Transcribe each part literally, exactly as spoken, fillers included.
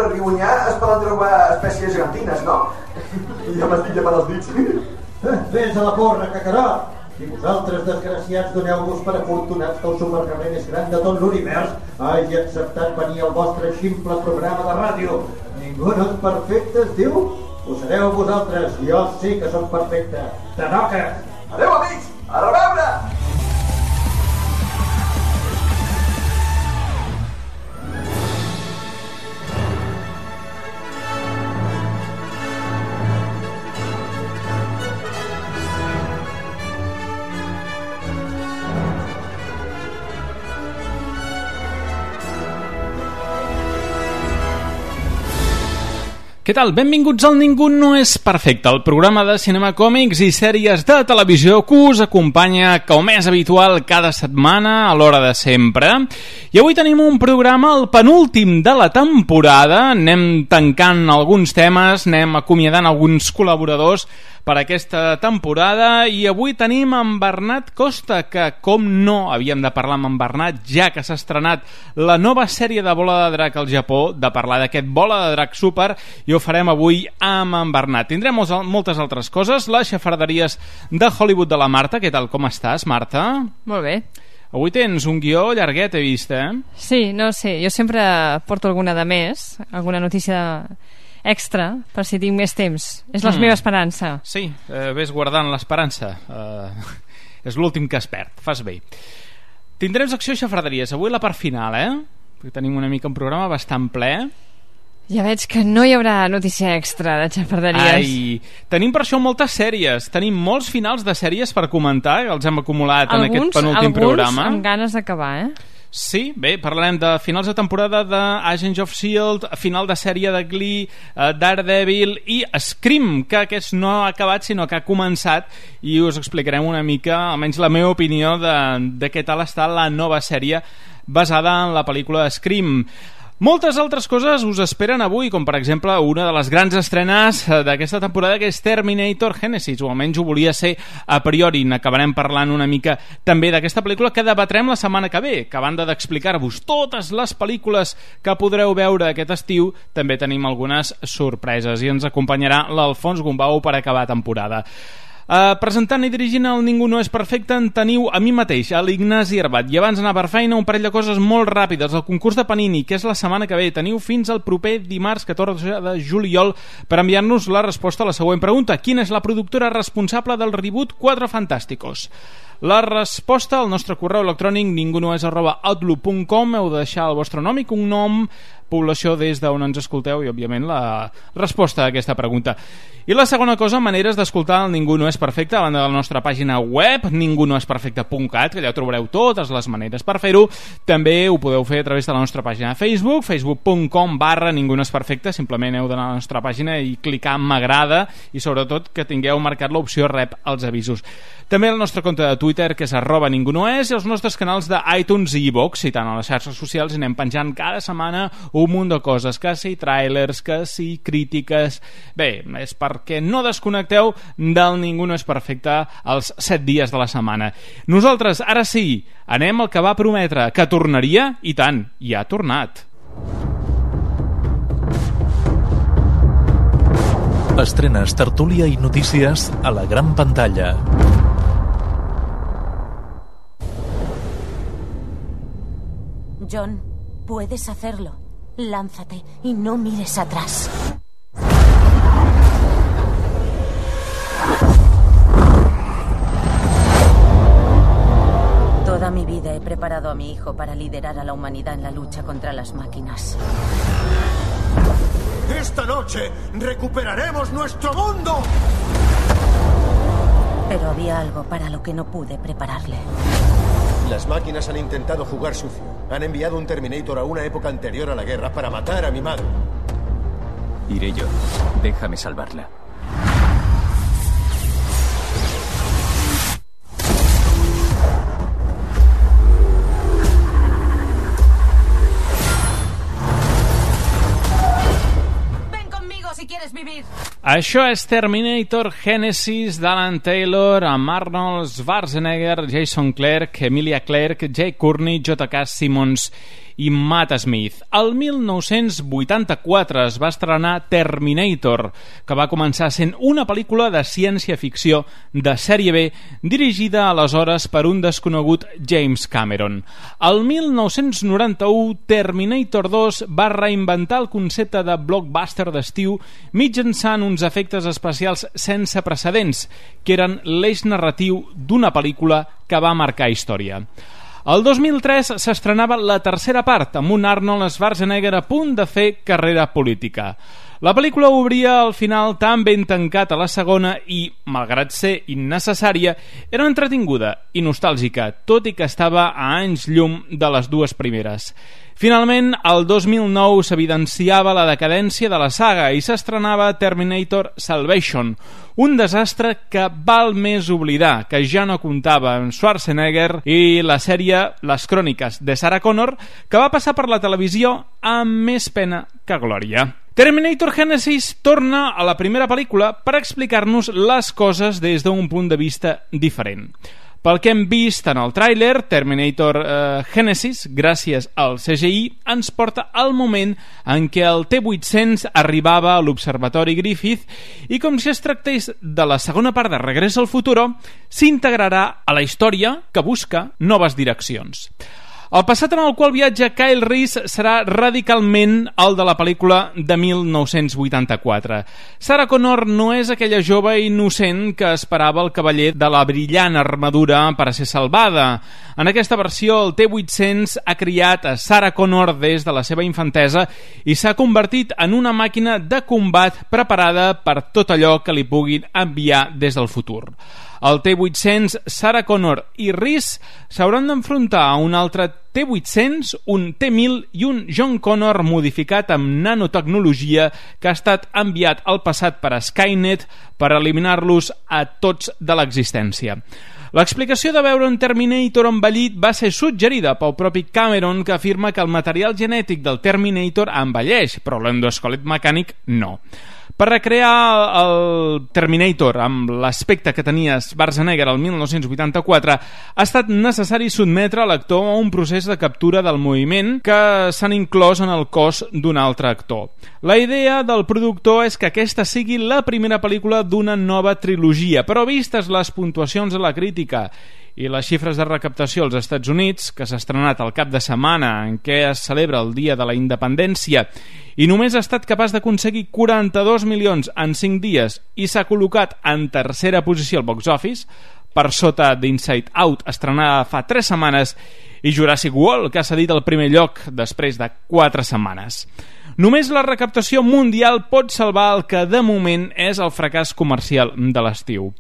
el riu Onyar es poden trobar espècies gegantines, no? Ja m'estic llamant els dits. Vés a la porra, cacarot! I vosaltres, desgraciats, doneu-vos per afortunats que el supercarrer més gran de tot l'univers hagi acceptat venir al vostre ximple programa de ràdio. Ningú no és perfecte, es diu? Ho sereu vosaltres, jo sí que som perfecte. Te toca! Adéu, amics! A reveure! Què tal? Benvinguts al Ningú no és perfecte, el programa de cinema, còmics i sèries de televisió que us acompanya, com és habitual, cada setmana a l'hora de sempre. I avui tenim un programa, el penúltim de la temporada. Anem tancant alguns temes, anem acomiadant alguns col·laboradors per aquesta temporada, i avui tenim en Bernat Costa, que com no havíem de parlar amb en Bernat, ja que s'ha estrenat la nova sèrie de Bola de Drac al Japó, de parlar d'aquest Bola de Drac Super, i ho farem avui amb en Bernat. Tindrem moltes altres coses, les xafarderies de Hollywood de la Marta. Què tal, com estàs, Marta? Molt bé. Avui tens un guió llarguet, he vist, eh? Sí, no sé, jo sempre porto alguna de més, alguna notícia extra, per si tinc més temps. És la mm. meva esperança. Sí, eh, ves guardant l'esperança. Eh, és l'últim que es perd. Fas bé. Tindrem secció xafarderies. Avui la part final, eh? Perquè tenim una mica un programa bastant ple. Ja veig que no hi haurà notícia extra de xafarderies. Ai, tenim per això moltes sèries. Tenim molts finals de sèries per comentar, que els hem acumulat alguns, en aquest penúltim alguns programa. Alguns amb ganes d'acabar, eh? Sí, bé, parlarem de finals de temporada de Agents of S H I E L D, final de sèrie de Glee, uh, Daredevil i Scream, que aquest no ha acabat sinó que ha començat, i us explicarem una mica, almenys la meva opinió de, de què tal està la nova sèrie basada en la pel·lícula Scream. Moltes altres coses us esperen avui, com per exemple una de les grans estrenes d'aquesta temporada, que és Terminator Genesis, o almenys ho volia ser a priori. N'acabarem parlant una mica també d'aquesta pel·lícula, que debatrem la setmana que ve, que a banda d'explicar-vos totes les pel·lícules que podreu veure aquest estiu, també tenim algunes sorpreses, i ens acompanyarà l'Alfons Gombau per acabar temporada. Uh, presentant i dirigint el Ningú no és perfecte en teniu a mi mateix, a l'Ignasi Herbat, i abans d'anar per feina un parell de coses molt ràpides. El concurs de Panini, que és la setmana que ve, teniu fins al proper dimarts catorze de juliol per enviar-nos la resposta a la següent pregunta: quina és la productora responsable del reboot Quatre Fantásticos? La resposta al nostre correu electrònic ningunoes arroba outlook punt com. Heu de deixar el vostre nom i cognom, població des d'on ens escolteu i, òbviament, la resposta a aquesta pregunta. I la segona cosa, maneres d'escoltar el Ningú no és perfecte, a banda de la nostra pàgina web, ningú no és perfecte punt cat, que allà trobareu totes les maneres per fer-ho. També ho podeu fer a través de la nostra pàgina de Facebook, facebook punt com barra ningú no és perfecte. Simplement heu d'anar a la nostra pàgina i clicar en m'agrada, i sobretot que tingueu marcat l'opció rep els avisos. També el nostre compte de Twitter, que és arroba ningú no és, i els nostres canals d'iTunes i iVoox, i tant a les xarxes socials anem penjant cada setmana un munt de coses, que si tràilers, que si crítiques. Bé, és perquè no desconnecteu del Ningú no és perfecte els set dies de la setmana. Nosaltres, ara sí, anem al que va prometre, que tornaria, i tant, i ha tornat. Estrenes, tertúlia i notícies a la gran pantalla. John, puedes hacerlo. Lánzate y no mires atrás. Toda mi vida he preparado a mi hijo para liderar a la humanidad en la lucha contra las máquinas. ¡Esta noche recuperaremos nuestro mundo! Pero había algo para lo que no pude prepararle. Las máquinas han intentado jugar sucio. Han enviado un Terminator a una época anterior a la guerra para matar a mi madre. Iré yo. Déjame salvarla. Si quieres vivir. Això és Terminator Genesis d'Alan Taylor, amb Arnold Schwarzenegger, Jason Clarke, Emilia Clarke, Jay Courtney, J K. Simmons i Matt Smith. El mil nou-cents vuitanta-quatre es va estrenar Terminator, que va començar sent una pel·lícula de ciència-ficció de sèrie B dirigida aleshores per un desconegut James Cameron. El mil nou-cents noranta-u, Terminator dos va reinventar el concepte de blockbuster d'estiu mitjançant uns efectes especials sense precedents, que eren l'eix narratiu d'una pel·lícula que va marcar història. El dos mil tres s'estrenava la tercera part, amb un Arnold Schwarzenegger a punt de fer carrera política. La pel·lícula obria al final tan ben tancat a la segona i, malgrat ser innecessària, era entretinguda i nostàlgica, tot i que estava a anys llum de les dues primeres. Finalment, el dos mil nou s'evidenciava la decadència de la saga i s'estrenava Terminator Salvation, un desastre que val més oblidar, que ja no comptava amb Schwarzenegger i la sèrie Les Cròniques de Sarah Connor, que va passar per la televisió amb més pena que glòria. Terminator Genesis torna a la primera pel·lícula per explicar-nos les coses des d'un punt de vista diferent. Pel que hem vist en el tràiler, Terminator eh, Genesis, gràcies al C G I, ens porta al moment en què el T vuit-cents arribava a l'Observatori Griffith i, com si es tractés de la segona part de Regreso al Futuro, s'integrarà a la història que busca noves direccions. El passat en el qual viatja Kyle Reese serà radicalment el de la pel·lícula de mil nou-cents vuitanta-quatre. Sarah Connor no és aquella jove innocent que esperava el cavaller de la brillant armadura per a ser salvada. En aquesta versió, el T vuit-cents ha criat a Sarah Connor des de la seva infantesa i s'ha convertit en una màquina de combat preparada per tot allò que li puguin enviar des del futur. El T vuit-cents, Sarah Connor i Reese s'hauran d'enfrontar a un altre T vuit-cents, un T mil i un John Connor modificat amb nanotecnologia que ha estat enviat al passat per a Skynet per eliminar-los a tots de l'existència. L'explicació de veure un Terminator envellit va ser suggerida pel propi Cameron, que afirma que el material genètic del Terminator envelleix, però l'endoesquelet mecànic no. Per recrear el Terminator amb l'aspecte que tenia Schwarzenegger el mil nou-cents vuitanta-quatre, ha estat necessari sotmetre l'actor a un procés de captura del moviment que s'han inclòs en el cos d'un altre actor. La idea del productor és que aquesta sigui la primera pel·lícula d'una nova trilogia, però vistes les puntuacions de la crítica i les xifres de recaptació als Estats Units, que s'ha estrenat al cap de setmana en què es celebra el Dia de la Independència i només ha estat capaç d'aconseguir quaranta-dos milions en cinc dies i s'ha col·locat en tercera posició al box office, per sota d'Inside Out, estrenada fa tres setmanes, i Jurassic World, que ha cedit el primer lloc després de quatre setmanes. Només la recaptació mundial pot salvar el que de moment és el fracàs comercial de l'estiu.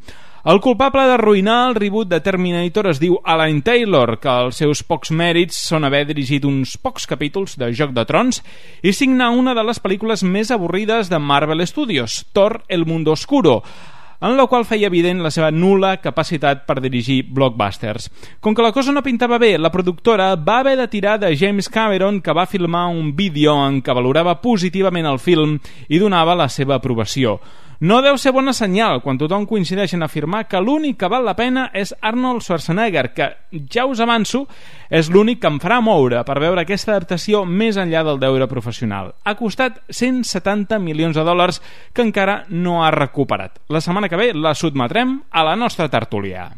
El culpable d'arruïnar el reboot de Terminator es diu Alan Taylor, que els seus pocs mèrits són haver dirigit uns pocs capítols de Joc de Trons i signar una de les pel·lícules més avorrides de Marvel Studios, Thor: El Mundo Oscuro, en la qual feia evident la seva nul·la capacitat per dirigir blockbusters. Com que la cosa no pintava bé, la productora va haver de tirar de James Cameron, que va filmar un vídeo en què valorava positivament el film i donava la seva aprovació. No deu ser bona senyal quan tothom coincideix en afirmar que l'únic que val la pena és Arnold Schwarzenegger, que, ja us avanço, és l'únic que em farà moure per veure aquesta adaptació més enllà del deure professional. Ha costat cent setanta milions de dòlars que encara no ha recuperat. La setmana que ve la sotmetrem a la nostra tertúlia.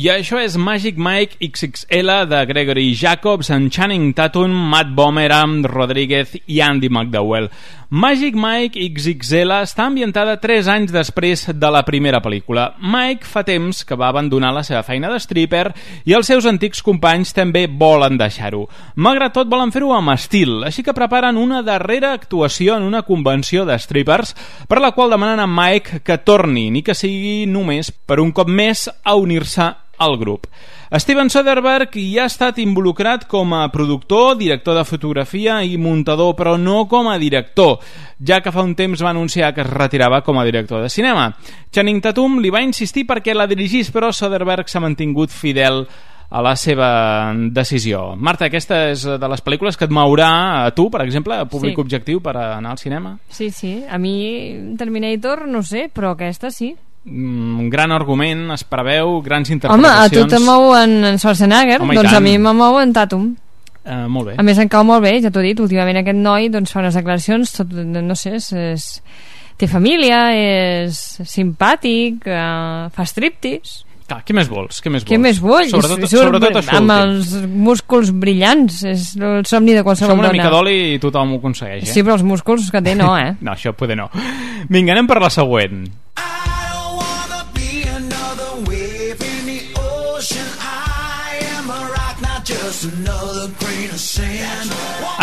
I això és Magic Mike ics ics ele de Gregory Jacobs amb Channing Tatum, Matt Bomerham, Rodríguez i Andy McDowell. Magic Mike ics ics ele està ambientada tres anys després de la primera pel·lícula. Mike fa temps que va abandonar la seva feina de stripper i els seus antics companys també volen deixar-ho. Malgrat tot, volen fer-ho amb estil, així que preparen una darrera actuació en una convenció de strippers per la qual demanen a Mike que torni, ni que sigui només per un cop més a unir-se al grup. Steven Soderbergh hi ha estat involucrat com a productor, director de fotografia i muntador, però no com a director, ja que fa un temps va anunciar que es retirava com a director de cinema. Channing Tatum li va insistir perquè la dirigís, però Soderbergh s'ha mantingut fidel a la seva decisió. Marta, aquesta és de les pel·lícules que et mourà a tu, per exemple, a públic sí. objectiu per anar al cinema? Sí, sí. A mi Terminator no sé, però aquesta sí. Un gran argument, es preveu, grans interpretacions. Home, a tu te mou en, en Schwarzenegger, Home, doncs a mi me mou en Tatum. Uh, molt bé. A més, em cau molt bé, ja t'ho he dit, últimament aquest noi doncs, fa unes declaracions, tot, no sé, és, és, té família, és simpàtic, uh, fa striptease. Clar, què més vols? Què més vols? Què més vols? Sobretot, Surt, sobretot això amb últim. els músculs brillants, és el somni de qualsevol Som una dona. mica d'oli i tothom ho aconsegueix, eh? Sí, però els músculs que té no, eh? No, això poder no. Vinga, anem per la següent.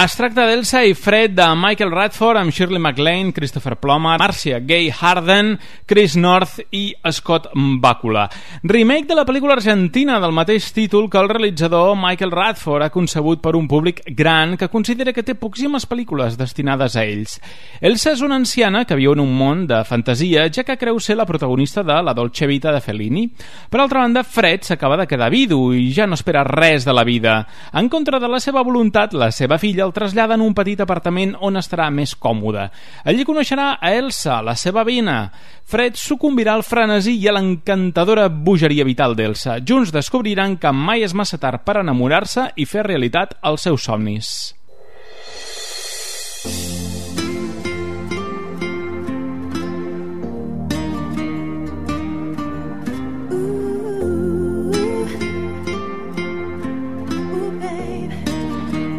Es tracta d'Elsa i Fred de Michael Radford amb Shirley MacLaine, Christopher Plummer, Marcia Gay Harden, Chris North i Scott Bakula. Remake de la pel·lícula argentina del mateix títol que el realitzador Michael Radford ha concebut per un públic gran que considera que té poquíssimes pel·lícules destinades a ells. Elsa és una anciana que viu en un món de fantasia, ja que creu ser la protagonista de La Dolce Vita de Fellini. Per altra banda, Fred s'acaba de quedar vidu i ja no espera res de la vida. En contra de la seva voluntat, la seva filla el trasllada en un petit apartament on estarà més còmode. Allí coneixerà a Elsa, la seva veïna. Fred sucumbirà al frenesí i a l'encantadora bogeria vital d'Elsa. Junts descobriran que mai és massa tard per enamorar-se i fer realitat els seus somnis.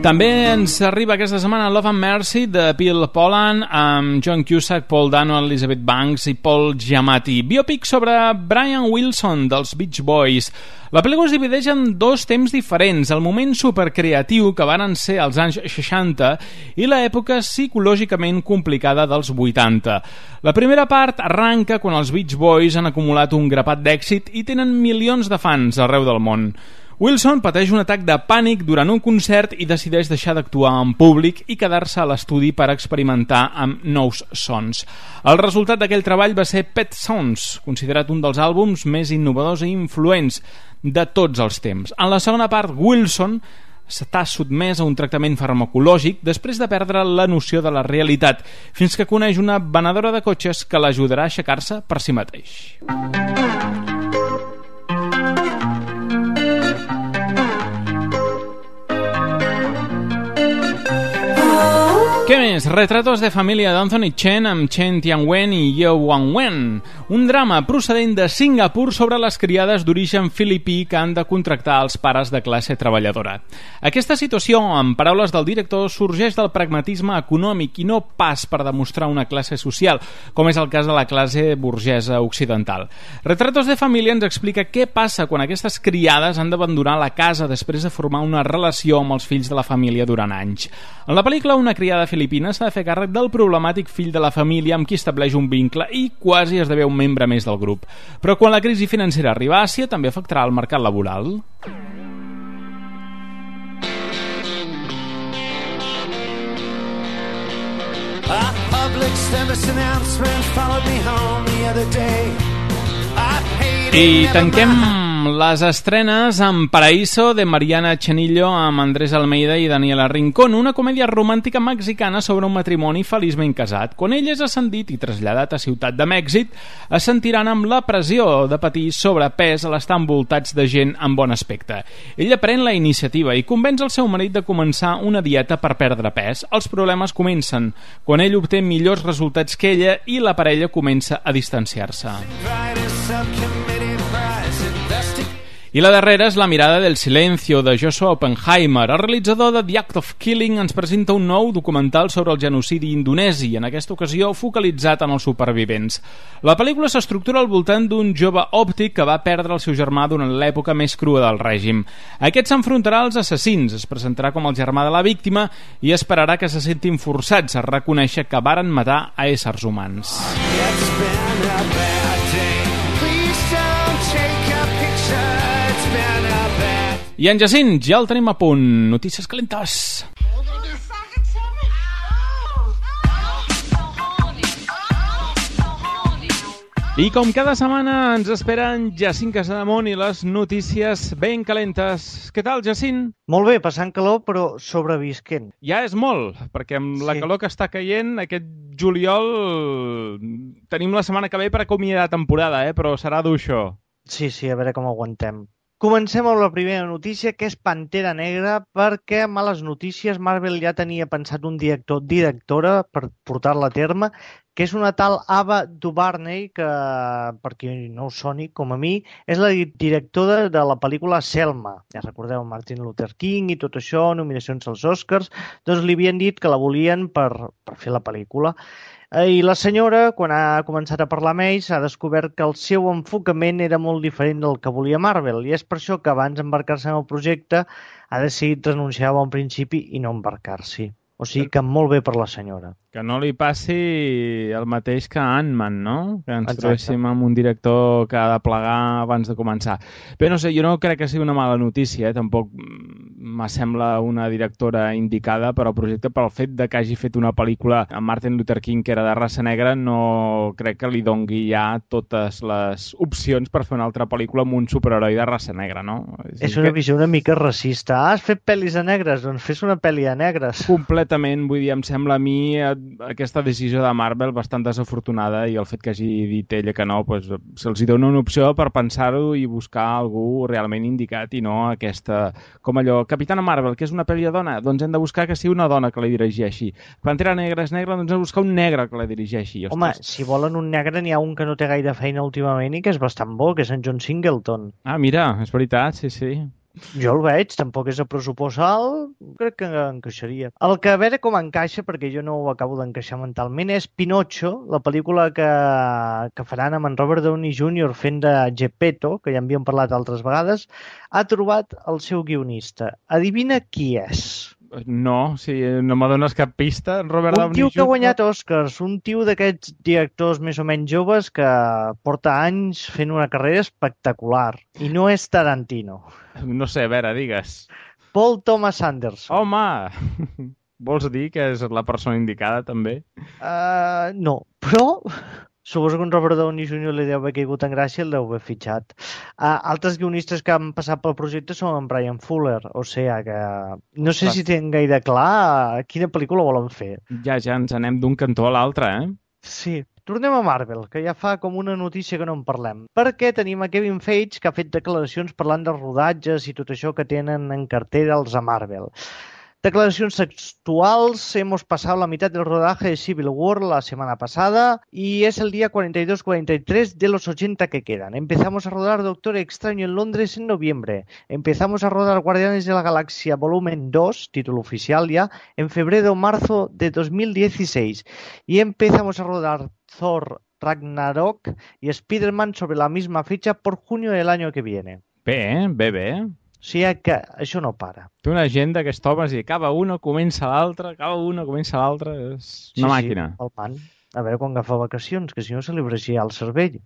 També ens arriba aquesta setmana Love and Mercy de Bill Poland amb John Cusack, Paul Dano, Elizabeth Banks i Paul Giamatti. Biopic sobre Brian Wilson dels Beach Boys. La pel·lícula es divideix en dos temps diferents, el moment supercreatiu que varen ser als anys seixanta i l'època psicològicament complicada dels vuitanta. La primera part arranca quan els Beach Boys han acumulat un grapat d'èxit i tenen milions de fans arreu del món. Wilson pateix un atac de pànic durant un concert i decideix deixar d'actuar en públic i quedar-se a l'estudi per experimentar amb nous sons. El resultat d'aquell treball va ser Pet Sounds, considerat un dels àlbums més innovadors i influents de tots els temps. En la segona part, Wilson està sotmès a un tractament farmacològic després de perdre la noció de la realitat, fins que coneix una venedora de cotxes que l'ajudarà a aixecar-se per si mateix. Què més? Retratos de família d'Anthony Chen amb Chen Tianwen i Yeo Wang-wen. Un drama procedent de Singapur sobre les criades d'origen filipí que han de contractar els pares de classe treballadora. Aquesta situació, en paraules del director, sorgeix del pragmatisme econòmic i no pas per demostrar una classe social, com és el cas de la classe burgesa occidental. Retratos de família ens explica què passa quan aquestes criades han d'abandonar la casa després de formar una relació amb els fills de la família durant anys. En la pel·lícula, una criada filipina s'ha de fer càrrec del problemàtic fill de la família amb qui estableix un vincle i quasi esdevé un membre més del grup. Però quan la crisi financera arriba a Àsia, també afectarà el mercat laboral. A public service announcement followed me home the other day. I tanquem les estrenes amb Paraíso de Mariana Chenillo amb Andrés Almeida i Daniela Rincón, una comèdia romàntica mexicana sobre un matrimoni feliçment casat. Quan ell és ascendit i traslladat a Ciutat de Mèxic, es sentiran amb la pressió de patir sobrepès a l'estar envoltats de gent amb bon aspecte. Ella pren la iniciativa i convenç el seu marit de començar una dieta per perdre pes. Els problemes comencen quan ell obté millors resultats que ella i la parella comença a distanciar-se. I la darrera és La mirada del silencio, de Joshua Oppenheimer. El realitzador de The Act of Killing ens presenta un nou documental sobre el genocidi indonesi, en aquesta ocasió focalitzat en els supervivents. La pel·lícula s'estructura al voltant d'un jove òptic que va perdre el seu germà durant l'època més crua del règim. Aquest s'enfrontarà als assassins, es presentarà com el germà de la víctima i esperarà que se sentin forçats a reconèixer que varen matar a éssers humans. I en Jacint, ja el tenim a punt. Notícies calentes. I com cada setmana ens esperen Jacint Casademont i les notícies ben calentes. Què tal, Jacint? Molt bé, passant calor, però sobrevisquent. Ja és molt, perquè amb la Sí. calor que està caient, aquest juliol tenim la setmana que ve per acomiadar temporada, eh? Però serà dur això. Sí, sí, a veure com aguantem. Comencem amb la primera notícia, que és Pantera Negra, perquè, males notícies, Marvel ja tenia pensat un director, directora, per portar-la a terme, que és una tal Ava DuVernay, que, per qui no us soni, com a mi, és la directora de la pel·lícula Selma. Ja recordeu Martin Luther King i tot això, nominacions als Oscars, doncs li havien dit que la volien per, per fer la pel·lícula. I la senyora, quan ha començat a parlar amb ells, ha descobert que el seu enfocament era molt diferent del que volia Marvel, i és per això que abans d'embarcar-se en el projecte ha decidit renunciar a bon principi i no embarcar-s'hi. O sigui que molt bé per la senyora. Que no li passi el mateix que Ant-Man, no? Que ens Exacte. trobéssim amb un director que ha de plegar abans de començar. Bé, no sé, jo no crec que sigui una mala notícia, eh? Tampoc m'assembla una directora indicada per al projecte, però el fet de que hagi fet una pel·lícula amb Martin Luther King que era de raça negra no crec que li dongui ja totes les opcions per fer una altra pel·lícula amb un superheroi de raça negra, no? És una visió una mica racista. Ah, has fet pel·lis de negres? Doncs fes una pel·li de negres. Completament, vull dir, em sembla a mi aquesta decisió de Marvel bastant desafortunada, i el fet que hagi dit ella que no, doncs, se'ls dona una opció per pensar-ho i buscar algú realment indicat i no aquesta, com allò, Capitana Marvel, que és una pel·li de dona, doncs hem de buscar que sigui una dona que la dirigeixi. Pantera Negra és negra, doncs hem de buscar un negre que la dirigeixi. Ostres. Home, si volen un negre n'hi ha un que no té gaire feina últimament i que és bastant bo, que és en John Singleton. Ah, mira, és veritat, sí, sí. Jo el veig, tampoc és a pressupost alt, crec que encaixaria. El que a veure com encaixa, perquè jo no ho acabo d'encaixar mentalment, és Pinocho, la pel·lícula que, que faran amb en Robert Downey júnior fent de Geppetto, que ja en havíem parlat altres vegades, ha trobat el seu guionista. Adivina qui és? No, si no me dones cap pista, Robert Un Downey tio que ha júnior guanyat Oscars, un tio d'aquests directors més o menys joves que porta anys fent una carrera espectacular. I no és Tarantino. No sé, a veure, digues. Paul Thomas Anderson. Home! Vols dir que és la persona indicada, també? Uh, no, però suposo que un Robert Downey júnior li deu haver caigut en gràcia i el deu haver fitxat. Uh, altres guionistes que han passat pel projecte són en Brian Fuller, o sigui que no sé Clar. si tenen gaire clar quina pel·lícula volen fer. Ja, ja ens anem d'un cantó a l'altre, eh? Sí. Tornem a Marvel, que ja fa com una notícia que no en parlem. Perquè tenim a Kevin Feige, que ha fet declaracions parlant dels rodatges i tot això que tenen en cartera els a Marvel. Declaracions textuals: hemos pasado la mitad del rodaje de Civil War la semana pasada y es el día cuarenta y dos cuarenta y tres de los ochenta que quedan. Empezamos a rodar Doctor Extraño en Londres en noviembre. Empezamos a rodar Guardianes de la Galaxia Volumen dos, título oficial ya, en febrero o marzo de dos mil dieciséis. Y empezamos a rodar Thor Ragnarok y Spider-Man sobre la misma fecha por junio del año que viene. Bé, bé, bé. O sigui que això no para. Té una agenda que es topa i acaba una, comença l'altra, acaba una, comença l'altra. És una sí, màquina. Sí, el man. A veure quan agafa vacacions, que si no se li breixia el cervell.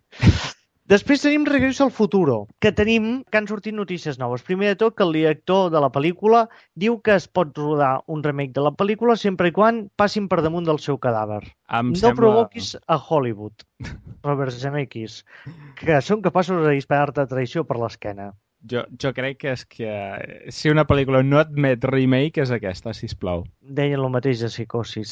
Després tenim Regreso al Futuro, que tenim que han sortit notícies noves. Primer de tot, que el director de la pel·lícula diu que es pot rodar un remake de la pel·lícula sempre i quan passin per damunt del seu cadàver. Em no sembla... provoquis a Hollywood, Robert Zemeckis, que són capaços de disparar-te traïció per l'esquena. Jo, jo crec que és que si una pel·lícula no admet remake és aquesta, sisplau. Deien el mateix de Psicosis.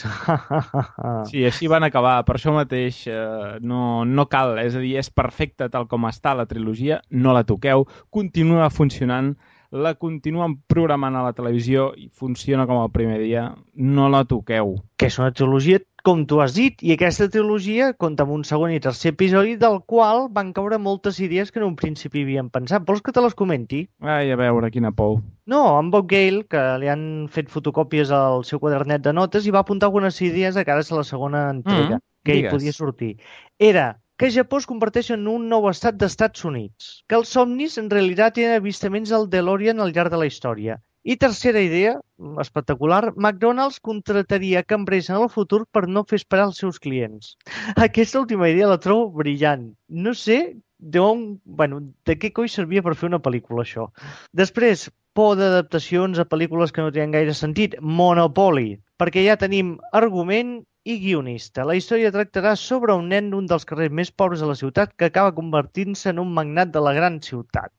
Sí, així van acabar. Per això mateix eh, no, no cal. És a dir, és perfecta tal com està la trilogia, no la toqueu, continua funcionant la continuen programant a la televisió i funciona com el primer dia, no la toqueu. Que és una trilogia, com tu has dit, i aquesta trilogia compta amb un segon i tercer episodi del qual van caure moltes idees que en un principi havien pensat. Vols que te les comenti? Ai, a veure, quina por. No, en Bob Gale, que li han fet fotocòpies al seu quadernet de notes i va apuntar algunes idees de cara a la segona entrega, mm, que hi podia sortir. Era que Japó es converteix en un nou estat d'Estats Units, que els somnis en realitat tenen avistaments al DeLorean al llarg de la història. I tercera idea, espectacular, McDonald's contrataria cambrers en el futur per no fer esperar els seus clients. Aquesta última idea la trobo brillant. No sé d'on, bueno, de què coi servia per fer una pel·lícula, això. Després, por d'adaptacions a pel·lícules que no tenen gaire sentit. Monopoly, perquè ja tenim argument i guionista. La història tractarà sobre un nen d'un dels carrers més pobres de la ciutat que acaba convertint-se en un magnat de la gran ciutat.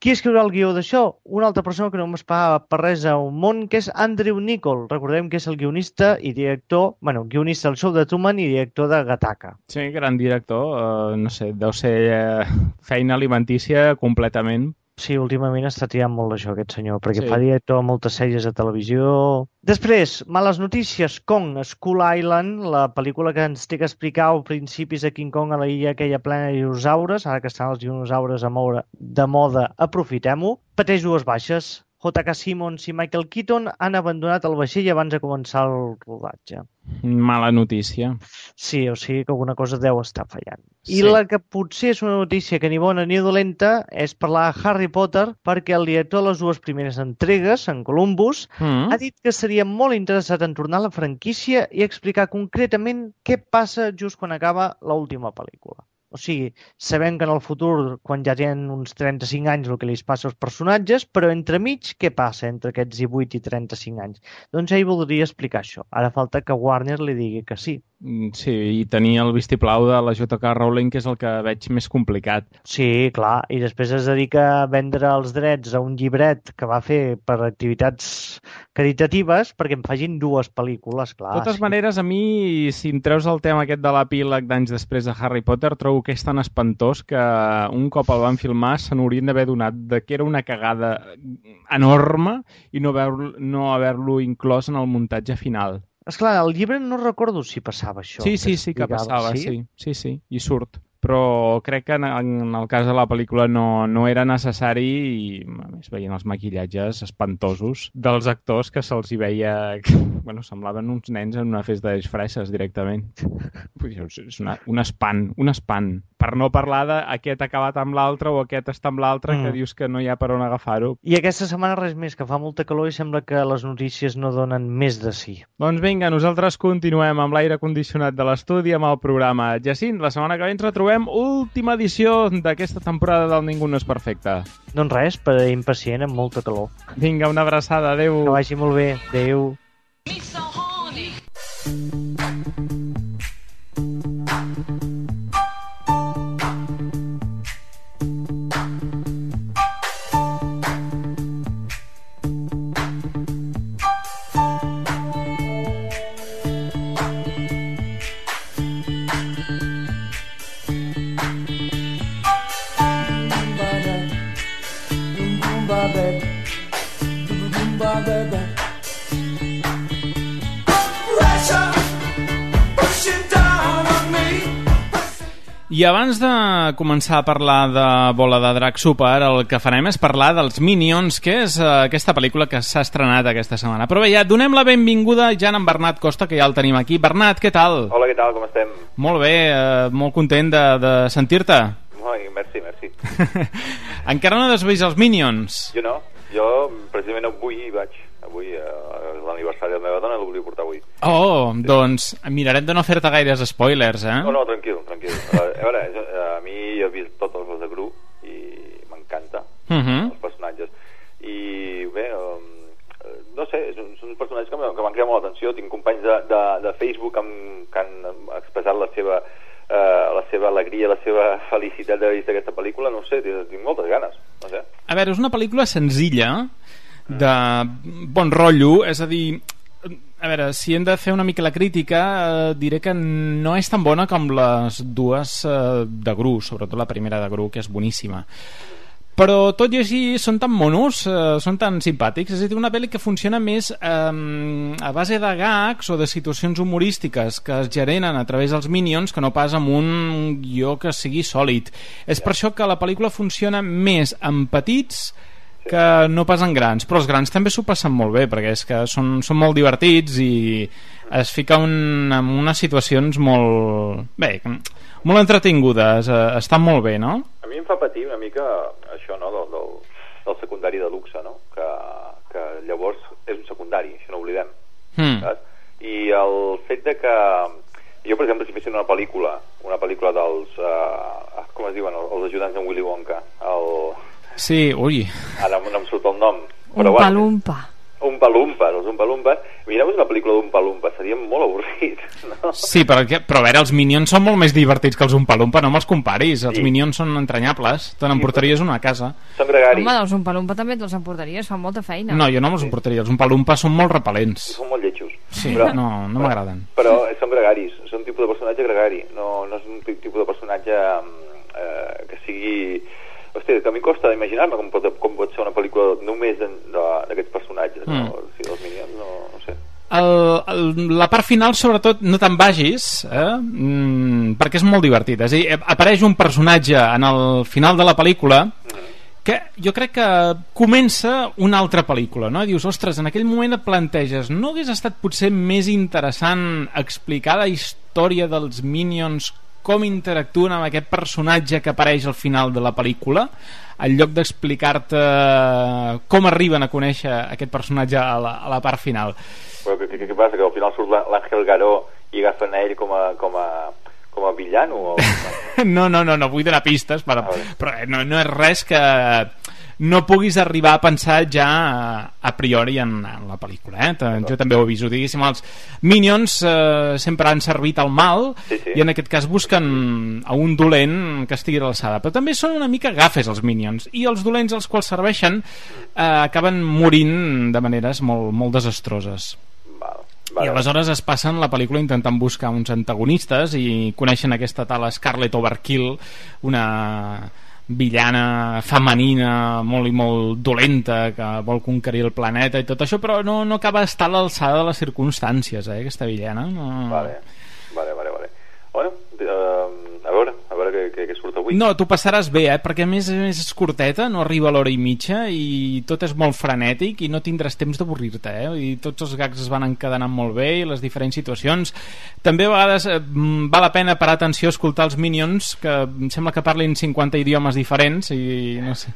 Qui escriurà el guió d'això? Una altra persona que no m'esperava per res a un món, que és Andrew Niccol. Recordem que és el guionista i director, bueno, guionista del show de Truman i director de Gattaca. Sí, gran director. Uh, no sé, deu ser uh, feina alimentícia completament. Sí, últimament està triant molt això, aquest senyor, perquè Sí. fa director a moltes sèries de televisió. Després, males notícies, Kong, Skull Island, la pel·lícula que ens té que explicar als principis de King Kong a la illa aquella plena de dinosaures, ara que estan els dinosaures a moure de moda, aprofitem-ho. Pateix dues baixes. J K. Simmons i Michael Keaton han abandonat el vaixell abans de començar el rodatge. Mala notícia. Sí, o sigui que alguna cosa deu estar fallant. Sí. I la que potser és una notícia que ni bona ni dolenta és parlar de Harry Potter, perquè el director de les dues primeres entregues, en Columbus, Mm. ha dit que seria molt interessat en tornar a la franquícia i explicar concretament què passa just quan acaba l'última pel·lícula. O sigui, sabem que en el futur, quan ja tenen uns trenta-cinc anys, el que li passa als personatges, però entremig, què passa entre aquests divuit i trenta-cinc anys? Doncs ell voldria explicar això. Ara falta que Warner li digui que sí. Sí, i tenir el vistiplau de la J K. Rowling, que és el que veig més complicat. Sí, clar, i després es dedica a vendre els drets a un llibret que va fer per activitats caritatives perquè en facin dues pel·lícules, clar. De totes sí. maneres, a mi, si em treus el tema aquest de l'epíleg d'anys després de Harry Potter, trobo que és tan espantós que un cop el van filmar se n'haurien d'haver donat de que era una cagada enorme i no haver-lo no haver-lo inclòs en el muntatge final. Esclar, al llibre no recordo si passava això. Sí, sí, sí que explicava, passava, sí, sí, sí, i surt. Però crec que en, en el cas de la pel·lícula no, no era necessari i, a més, veient els maquillatges espantosos dels actors que se'ls hi veia... Bueno, semblaven uns nens en una festa de disfresses directament. És una, un espant, un espant. Per no parlar d'aquest ha acabat amb l'altre o aquest està amb l'altre, mm. que dius que no hi ha per on agafar-ho. I aquesta setmana res més, que fa molta calor i sembla que les notícies no donen més de sí. Doncs vinga, nosaltres continuem amb l'aire condicionat de l'estudi amb el programa. Jacint, la setmana que ve ens retrobem última edició d'aquesta temporada del Ningú no és perfecte. Doncs res, per impacient, amb molta calor. Vinga, una abraçada, adeu. Que vagi molt bé, adeu. I abans de començar a parlar de Bola de Drac Super, el que farem és parlar dels Minions, que és uh, aquesta pel·lícula que s'ha estrenat aquesta setmana. Però bé, ja donem la benvinguda ja a en Bernat Costa, que ja el tenim aquí. Bernat, què tal? Hola, què tal, com estem? Molt bé, uh, molt content de, de sentir-te. Ai, merci, merci. Encara no has vist els Minions? Jo no, jo precisament avui hi vaig. Avui, eh, l'aniversari de la meva dona, el volia portar avui. Oh, doncs mirarem de no fer-te gaires spoilers, eh? No, no, tranquil, tranquil. A veure, jo, a mi he vist tots els de Gru i m'encanta, uh -huh. els personatges. I bé, um, no sé, són, són personatges que m'han creat molt l'atenció. Tinc companys de, de, de Facebook amb, que han expressat la seva, uh, la seva alegria, la seva felicitat d'haver vist aquesta pel·lícula. No sé, tinc, tinc moltes ganes, no sé. A veure, és una pel·lícula senzilla, de bon rotllo, és a dir, a veure, si hem de fer una mica la crítica, eh, diré que no és tan bona com les dues eh, de Gru, sobretot la primera de Gru, que és boníssima. però tot i així són tan monos, eh, són tan simpàtics. És a dir, una pel·li que funciona més eh, a base de gags o de situacions humorístiques que es generen a través dels Minions que no pas amb un guió que sigui sòlid. És per això que la pel·lícula funciona més amb petits que no pas en grans, però els grans també s'ho passen molt bé, perquè és que són, són molt divertits i es fica un, en unes situacions molt bé, molt entretingudes, eh, estan molt bé, no? A mi em fa patir una mica això, no?, del, del, del secundari de luxe, no?, que, que llavors és un secundari, això no ho oblidem, mm. saps? I el fet de que jo, per exemple, si fessin una pel·lícula una pel·lícula dels uh, com es diuen, els ajudants d'en Willy Wonka, el... Sí, ui. Ara no em surt el nom. Però, un palumpa. Un palumpa, els un palumpa. Mireu una pel·lícula d'un palumpa, seria molt avorrit, no? Sí, perquè, però a veure, els Minions són molt més divertits que els un palumpa, no me'ls comparis. Els sí. Minions són entranyables, te n'emportaries una a casa. Són gregaris. Home, els un palumpa també te'ls emportaries, fan molta feina. No, jo no me'ls emportaria, els un palumpa són molt repel·lents. Són molt lletjos. Sí, però, no, no m'agraden. Però són gregaris, són un tipus de personatge gregari, no, no és un tipus de personatge eh, que sigui... Hòstia, que a mi costa d'imaginar-me com, pot, com pot ser una pel·lícula només d'aquests personatges, mm. no? O sigui, els Minions, no, no sé. El, el, la part final, sobretot, no te'n vagis, eh? mm, perquè és molt divertit. És a dir, apareix un personatge en el final de la pel·lícula mm. que jo crec que comença una altra pel·lícula, no? I dius, ostres, en aquell moment et planteges, no hagués estat potser més interessant explicar la història dels Minions, com interactuen amb aquest personatge que apareix al final de la pel·lícula, en lloc d'explicar-te com arriben a conèixer aquest personatge a la, a la part final. Però què, què passa? Que al final surt l'Àngel Garó i agafen a ell com a, com a, com a villano? O... no, no, no, no vull donar pistes, però, però no, no és res que no puguis arribar a pensar ja a priori en, en la pel·lícula, eh? Jo també ho aviso, diguéssim, els Minions eh, sempre han servit al mal, sí, sí. I en aquest cas busquen a un dolent que estigui a l'alçada, però també són una mica gafes els Minions, i els dolents als quals serveixen eh, acaben morint de maneres molt, molt desastroses. Val. Vale. I aleshores es passen la pel·lícula intentant buscar uns antagonistes i coneixen aquesta tal Scarlet Overkill, una villana femenina molt i molt dolenta que vol conquerir el planeta i tot això, però no, no acaba d'estar a l'alçada de les circumstàncies, eh, aquesta villana. No... Vale, vale, vale, vale. Bueno, uh, a veure, a veure què, què, què surt avui. No, tu passaràs bé, eh, perquè a més a més és curteta, no arriba a l'hora i mitja i tot és molt frenètic i no tindràs temps d'avorrir-te, eh, i tots els gags es van encadenant molt bé i les diferents situacions. També a vegades eh, val la pena parar atenció a escoltar els Minions, que em sembla que parlin cinquanta idiomes diferents i no sé,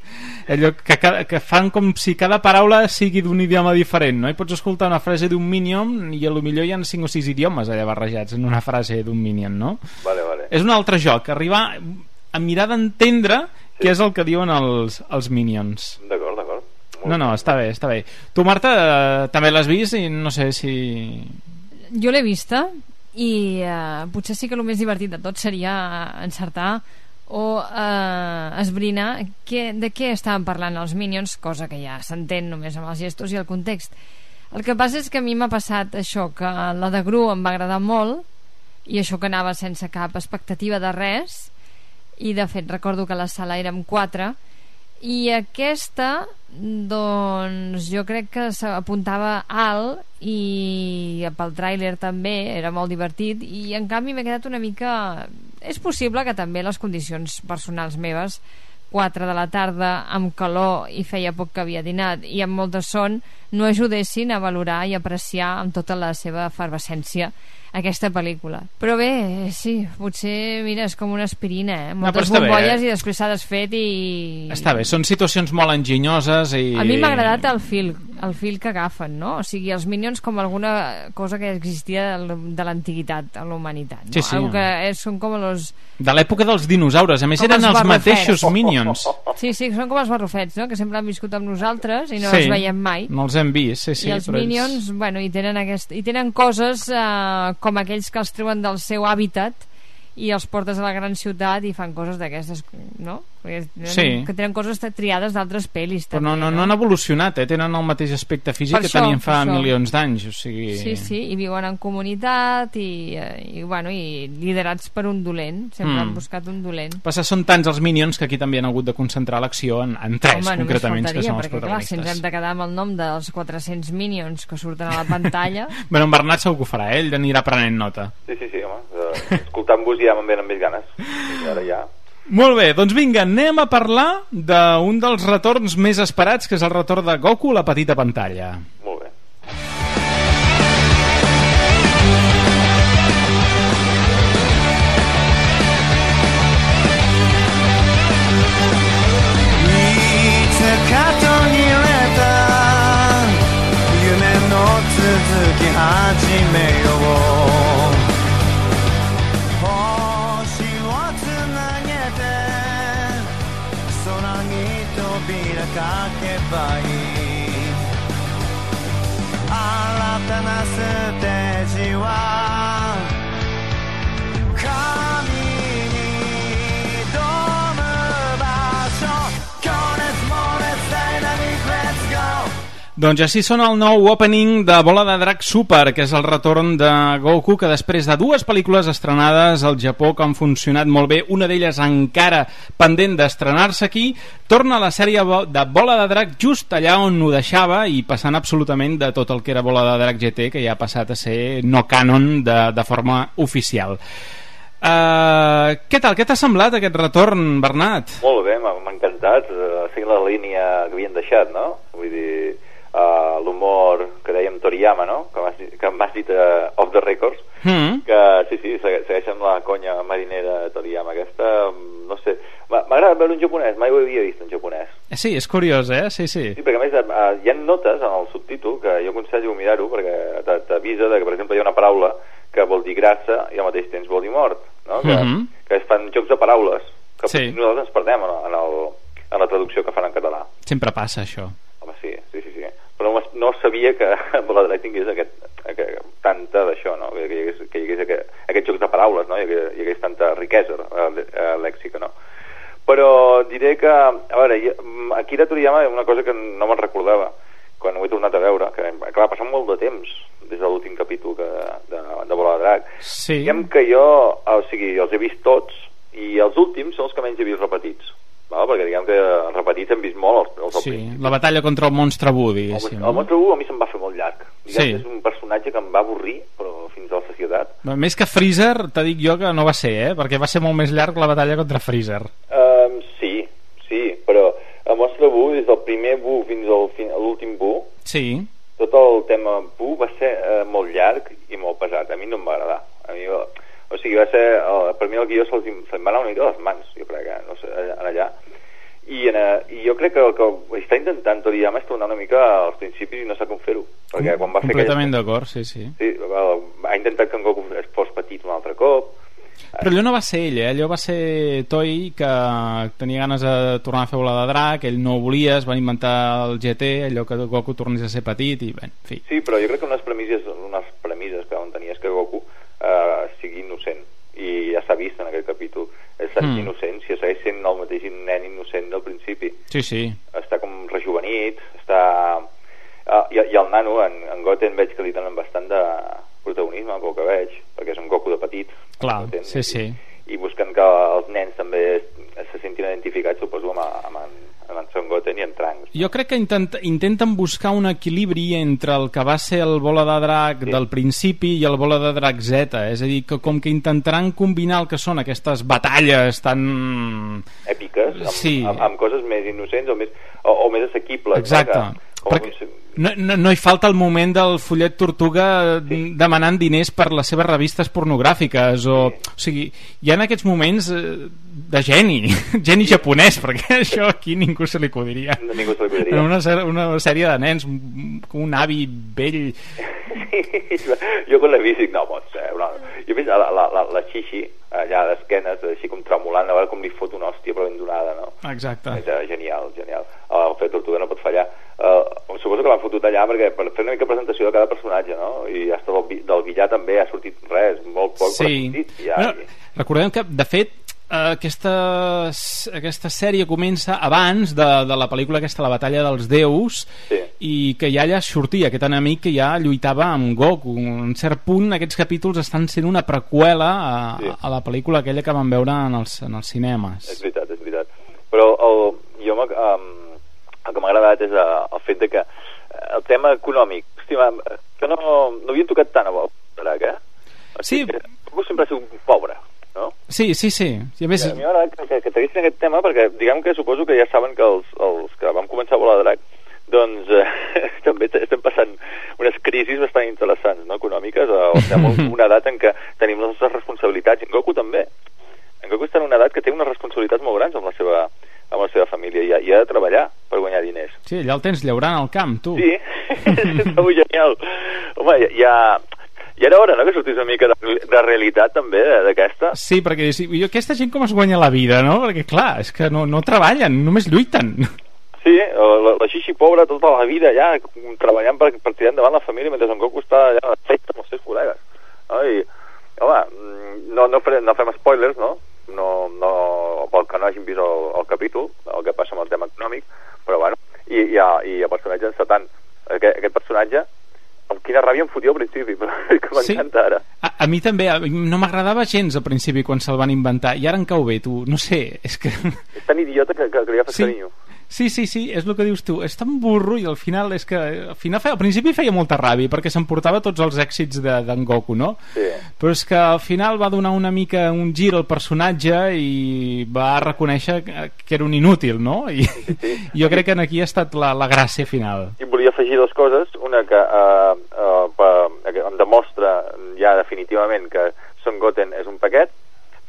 allò que, que fan com si cada paraula sigui d'un idioma diferent, no? I pots escoltar una frase d'un Minion i a lo millor hi ha cinc o sis idiomes allà barrejats en una frase d'un Minion, no? Vale, vale. És un altre joc, arribar a mirar d'entendre sí. Què és el que diuen els, els Minions. D'acord, d'acord. No, no, està bé, està bé. Tu, Marta, eh, també l'has vist i no sé si... Jo l'he vista i eh, potser sí que el més divertit de tot seria encertar o eh, esbrinar que, de què estaven parlant els Minions, cosa que ja s'entén només amb els gestos i el context. El que passa és que a mi m'ha passat això, que la de Gru em va agradar molt i això que anava sense cap expectativa de res, i de fet recordo que la sala érem quatre, i aquesta doncs jo crec que s'apuntava alt i pel tràiler també era molt divertit, i en canvi m'he quedat una mica... És possible que també les condicions personals meves, quatre de la tarda amb calor i feia poc que havia dinat i amb molta son, no ajudessin a valorar i apreciar amb tota la seva efervescència aquesta pel·lícula. Però bé, sí, potser, mira, és com una aspirina, eh? Moltes no, bombolles bé, eh? I després s'ha desfet i... Està bé, són situacions molt enginyoses i... A mi m'ha agradat el fil, el fil que agafen, no? O sigui, els Minions com alguna cosa que existia de l'antiguitat a la humanitat, no? Sí, sí. Algo que és, són com els... De l'època dels dinosaures, a més com eren els, els mateixos Minions. Sí, sí, són com els barrufets, no? Que sempre han viscut amb nosaltres i no sí, els veiem mai. No els hem vist, sí, sí. I els Minions, ells... bueno, hi tenen, aquest... hi tenen coses... Eh, com aquells que els treuen del seu hàbitat i els portes a la gran ciutat i fan coses d'aquestes, no? Sí. Que tenen coses triades d'altres pel·lis però també, no, no, no han evolucionat, eh? Tenen el mateix aspecte físic Per que això, tenien fa per això. milions d'anys, o sigui... Sí, sí, i viuen en comunitat i, i, bueno, i liderats per un dolent, sempre Mm. han buscat un dolent. Passa, són tants els Minions que aquí també han hagut de concentrar l'acció en, en tres, Home, concretament, només que són els faltaria, perquè clar, si ens protagonistes. hem de quedar amb el nom dels quatre-cents Minions que surten a la pantalla... Bueno, en Bernat segur que ho farà, ell anirà prenent nota. Sí, sí, sí, home. Uh, escoltant-vos ja me'n venen més ganes. I ara ja... Molt bé, doncs vinga, anem a parlar d'un dels retorns més esperats, que és el retorn de Goku a la petita pantalla. Molt bé. Doncs així sona el nou opening de Bola de Drac Super, que és el retorn de Goku, que després de dues pel·lícules estrenades al Japó que han funcionat molt bé, una d'elles encara pendent d'estrenar-se aquí, torna a la sèrie de Bola de Drac just allà on ho deixava i passant absolutament de tot el que era Bola de Drac G T, que ja ha passat a ser no canon de, de forma oficial. Uh, què tal? Què t'ha semblat aquest retorn, Bernat? Molt bé, m'ha m'ha encantat, uh, seguint la línia que havien deixat, no? Vull dir, uh, l'humor que dèiem Toriyama, no? Que m'has dit, que m'has dit uh, off the records, mm. que sí, sí, segueixen la conya marinera de Toriyama aquesta, no sé, m'agrada veure un japonès, mai ho havia vist en japonès. Sí, és curiós, eh? Sí, sí. Sí, perquè a més uh, hi ha notes en el subtítol que jo aconsello mirar-ho perquè t'avisa de que, per exemple, hi ha una paraula que vol dir grassa i al mateix temps vol dir mort, no? Que, mm-hmm. que es fan jocs de paraules que sí. nosaltres ens perdem en, en, el, en la traducció que fan en català. Sempre passa això. Home, sí, sí, sí, sí. Però no, no sabia que Bola de Drac tingués aquest, aquest, tanta d'això, no? Que hi hagués, que hi hagués aquest, aquests jocs de paraules, no? Hi hagués, hi hagués tanta riquesa uh, lèxica, no? Però diré que, a veure, Akira Toriyama és una cosa que no me'n recordava quan ho he tornat a veure, que clar, ha passat molt de temps des de l'últim capítol que, de, de Bola de Drac. Sí. Diguem que jo, o sigui, els he vist tots i els últims són els que menys he vist repetits, val? Perquè diguem que repetits hem vist molt els, els sí, la batalla contra el monstre Buu, diguéssim. El, el monstre Buu a mi se'm va fer molt llarg. Diguem sí. que és un personatge que em va avorrir, però fins a la sacietat. Més que Freezer, te dic jo que no va ser, eh? Perquè va ser molt més llarg la batalla contra Freezer. Um, sí, sí, però el monstre Buu, des del primer Buu fins al fin, a l'últim Buu, sí. tot el tema Buu va ser uh, molt llarg i molt pesat. A mi no em va agradar. A mi, o sigui, va ser, uh, per mi el guió se'ls se va anar una mica a les mans, jo crec, eh? No sé, en allà. I, en, uh, I jo crec que el que està intentant Toriyama és tornar una mica als principis i no sé com fer-ho. Perquè quan va fer completament d'acord, sí, sí. Sí, va, ha intentat que en Goku es fos petit un altre cop. Però allò no va ser ell, eh? Allò va ser Toei, que tenia ganes de tornar a fer Bola de Drac, ell no ho volia, es van inventar el G T, allò que Goku tornés a ser petit i bé, en fi. Sí, però jo crec que unes premisses, unes premisses que on tenia és que Goku eh, sigui innocent, i ja s'ha vist en aquest capítol, és mm. innocent, si segueix sent el mateix nen innocent del principi. Sí, sí. Està com rejuvenit, està... Uh, i, i el nano, en, en Goten veig que li donen bastant de protagonisme, pel que veig, perquè és un Goku de petit. Clar, Goten, sí, sí. I, i busquen que els nens també se sentin identificats, suposo, amb, amb, amb en Son Goten i en Trunks. Jo crec que intent, intenten buscar un equilibri entre el que va ser el Bola de Drac sí. del principi i el Bola de Drac Z, és a dir, que com que intentaran combinar el que són aquestes batalles tan... èpiques, amb, sí. amb, amb coses més innocents o més, o, o més assequibles. Exacte. No? Que, perquè no, no, no hi falta el moment del fullet tortuga sí. demanant diners per les seves revistes pornogràfiques o, sí. o sigui, hi ha en aquests moments de geni geni sí. japonès, perquè això aquí ningú se li acudiria, no, ningú se li acudiria. Una, una sèrie de nens un avi vell sí. jo quan l'he vist dic no pot ser no. Jo he vist la, la, la, la xixi allà d'esquenes així com tremolant a veure com li fot una hòstia però ben donada, no? Exacte. És, uh, genial, genial el fet tortuga no pot fallar. Uh, suposo que l'han fotut allà perquè per fer una mica presentació de cada personatge, no? I hasta del, del Villar també ha sortit res, molt poc, sí. però ha sortit. Ja, bueno, i... Recordem que, de fet, aquesta, aquesta sèrie comença abans de, de la pel·lícula aquesta, La batalla dels déus, sí. I que ja allà sortia aquest enemic que ja lluitava amb Goku. En cert punt aquests capítols estan sent una preqüela a, sí. a la pel·lícula aquella que vam veure en els, en els cinemes. És veritat, és veritat. Però el, jo um, el que m'ha agradat és uh, el fet de que el tema econòmic, hòstia, que no, no havien tocat tant a Drac, eh? O sigui, sí. Goku sempre ha sigut un pobre, no? Sí, sí, sí. I a més... A mi m'agrada que, que, que traguessin aquest tema perquè diguem que suposo que ja saben que els, els que vam començar a volar Drac doncs eh, també estem passant unes crisis bastant interessants, no? Econòmiques, o estem en una edat en què tenim les nostres responsabilitats, i en Goku també. En Goku està en una edat que té unes responsabilitats molt grans amb la seva, amb la seva família i ha, i ha de treballar per guanyar diners. Sí, allà el tens llaurant al camp, tu. Sí, està molt genial. Home, ja... Ja era hora, no?, que sortís una mica de, de realitat també d'aquesta. Sí, perquè jo, aquesta gent com es guanya la vida, no? Perquè clar, és que no, no treballen, només lluiten. Sí, la, la xixi pobra tota la vida ja treballant per, per tirar endavant la família mentre en Goku està allà a festa amb els seus col·legues, no? I, home, no, no, farem, no fem spoilers, no? No, no, pel que no hagin vist el, el capítol, el que passa amb el tema econòmic, però bueno, i, i, i el personatge encetant, aquest, aquest personatge amb quina ràbia em fotia al principi, però que m'encanta ara. A, a mi també, a, no m'agradava gens al principi quan se'l van inventar, i ara em cau bé, tu, no sé, és que... És tan idiota que, que, que li agafes sí. carinyo. Sí, sí, sí, és el que dius tu, és tan burro i al final és que al, final feia, al principi feia molta ràbia perquè s'emportava tots els èxits d'en de, Goku, no? Sí. Però és que al final va donar una mica un gir al personatge i va reconèixer que, que era un inútil, no? I sí, sí. Jo crec que aquí ha estat la, la gràcia final. I volia afegir dues coses, una que uh, uh, uh, em demostra ja definitivament que Son Goten és un paquet,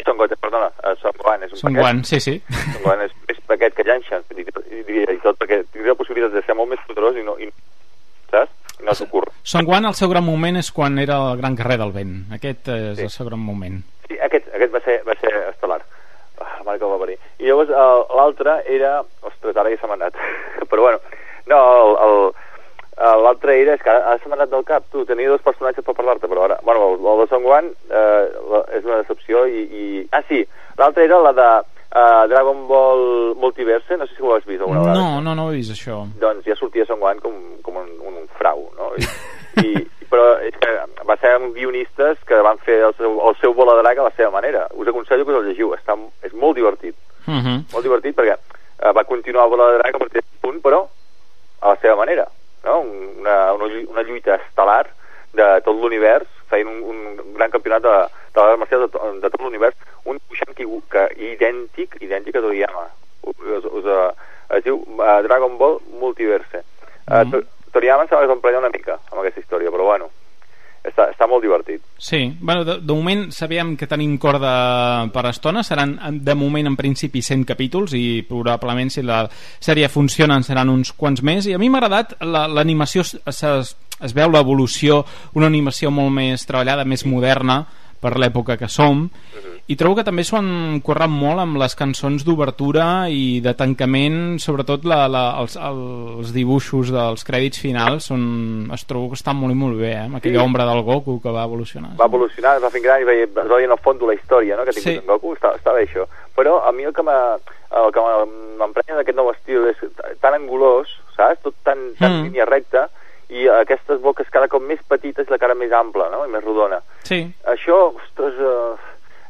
Son Goten, perdona, uh, Son Gohan és un Son paquet. Gohan, sí, sí. Son Gohan és més paquet que Yanshan, i, i, i tot perquè tindria la possibilitat de ser molt més poderós i no, i, saps? I no s'ocorre. Son Gohan, el seu gran moment és quan era el gran carrer del vent. Aquest és sí. el seu gran moment. Sí, aquest, aquest va ser, va ser estel·lar. Ah, la mare que el va parir. I llavors uh, l'altre era... Ostres, ara ja se m'ha anat. Però bueno, no, el... el l'altre era, és que ara se m'ha anat del cap, tu, tenia dos personatges per parlar-te, però ara, bueno, el, el de Son Gohan eh, la, és una decepció i, i... Ah, sí, l'altra era la de uh, Dragon Ball Multiverse, no sé si ho has vist alguna vegada. No, no, no he vist això. Doncs ja sortia Son Gohan com, com un, un, un frau, no? I, i, però és que va ser amb guionistes que van fer el seu, el seu Bola de Drac a la seva manera. Us aconsello que us el llegiu, està, és molt divertit. Uh -huh. Molt divertit perquè uh, va continuar el Bola de Drac a partir d'un punt, però a la seva manera. No? Una, una, una lluita estel·lar de tot l'univers, feien un, un gran campionat de, de les marcials de, de tot l'univers, un dibuixant que, que idèntic, idèntic a Toriyama. Us, us, uh, es diu uh, Dragon Ball Multiverse. Uh, mm. Toriyama em sembla que s'emprenya una mica amb aquesta història, però bueno, està, està molt divertit. Sí, bueno, de, de moment sabíem que tenim corda per estona, seran de moment en principi cent capítols i probablement si la sèrie funciona en seran uns quants més, i a mi m'ha agradat l'animació, es, es veu l'evolució, una animació molt més treballada, més moderna per l'època que som, i trobo que també s'ho han currat molt amb les cançons d'obertura i de tancament, sobretot la, la, els, els dibuixos dels crèdits finals són, es trobo que estan molt i molt bé, eh? Amb aquella sí. ombra del Goku que va evolucionar. Va evolucionar, es va fent gran i veia, es veia en el fons la història, no?, que ha tingut sí. en Goku, està, està bé això. Però a mi el que m'emprenya d'aquest nou estil és tan angulós, saps? Tot tan, tan mm. línia recta, i aquestes boques cada cop més petites i la cara més ampla, no?, i més rodona. Sí. Això, ostres, uh,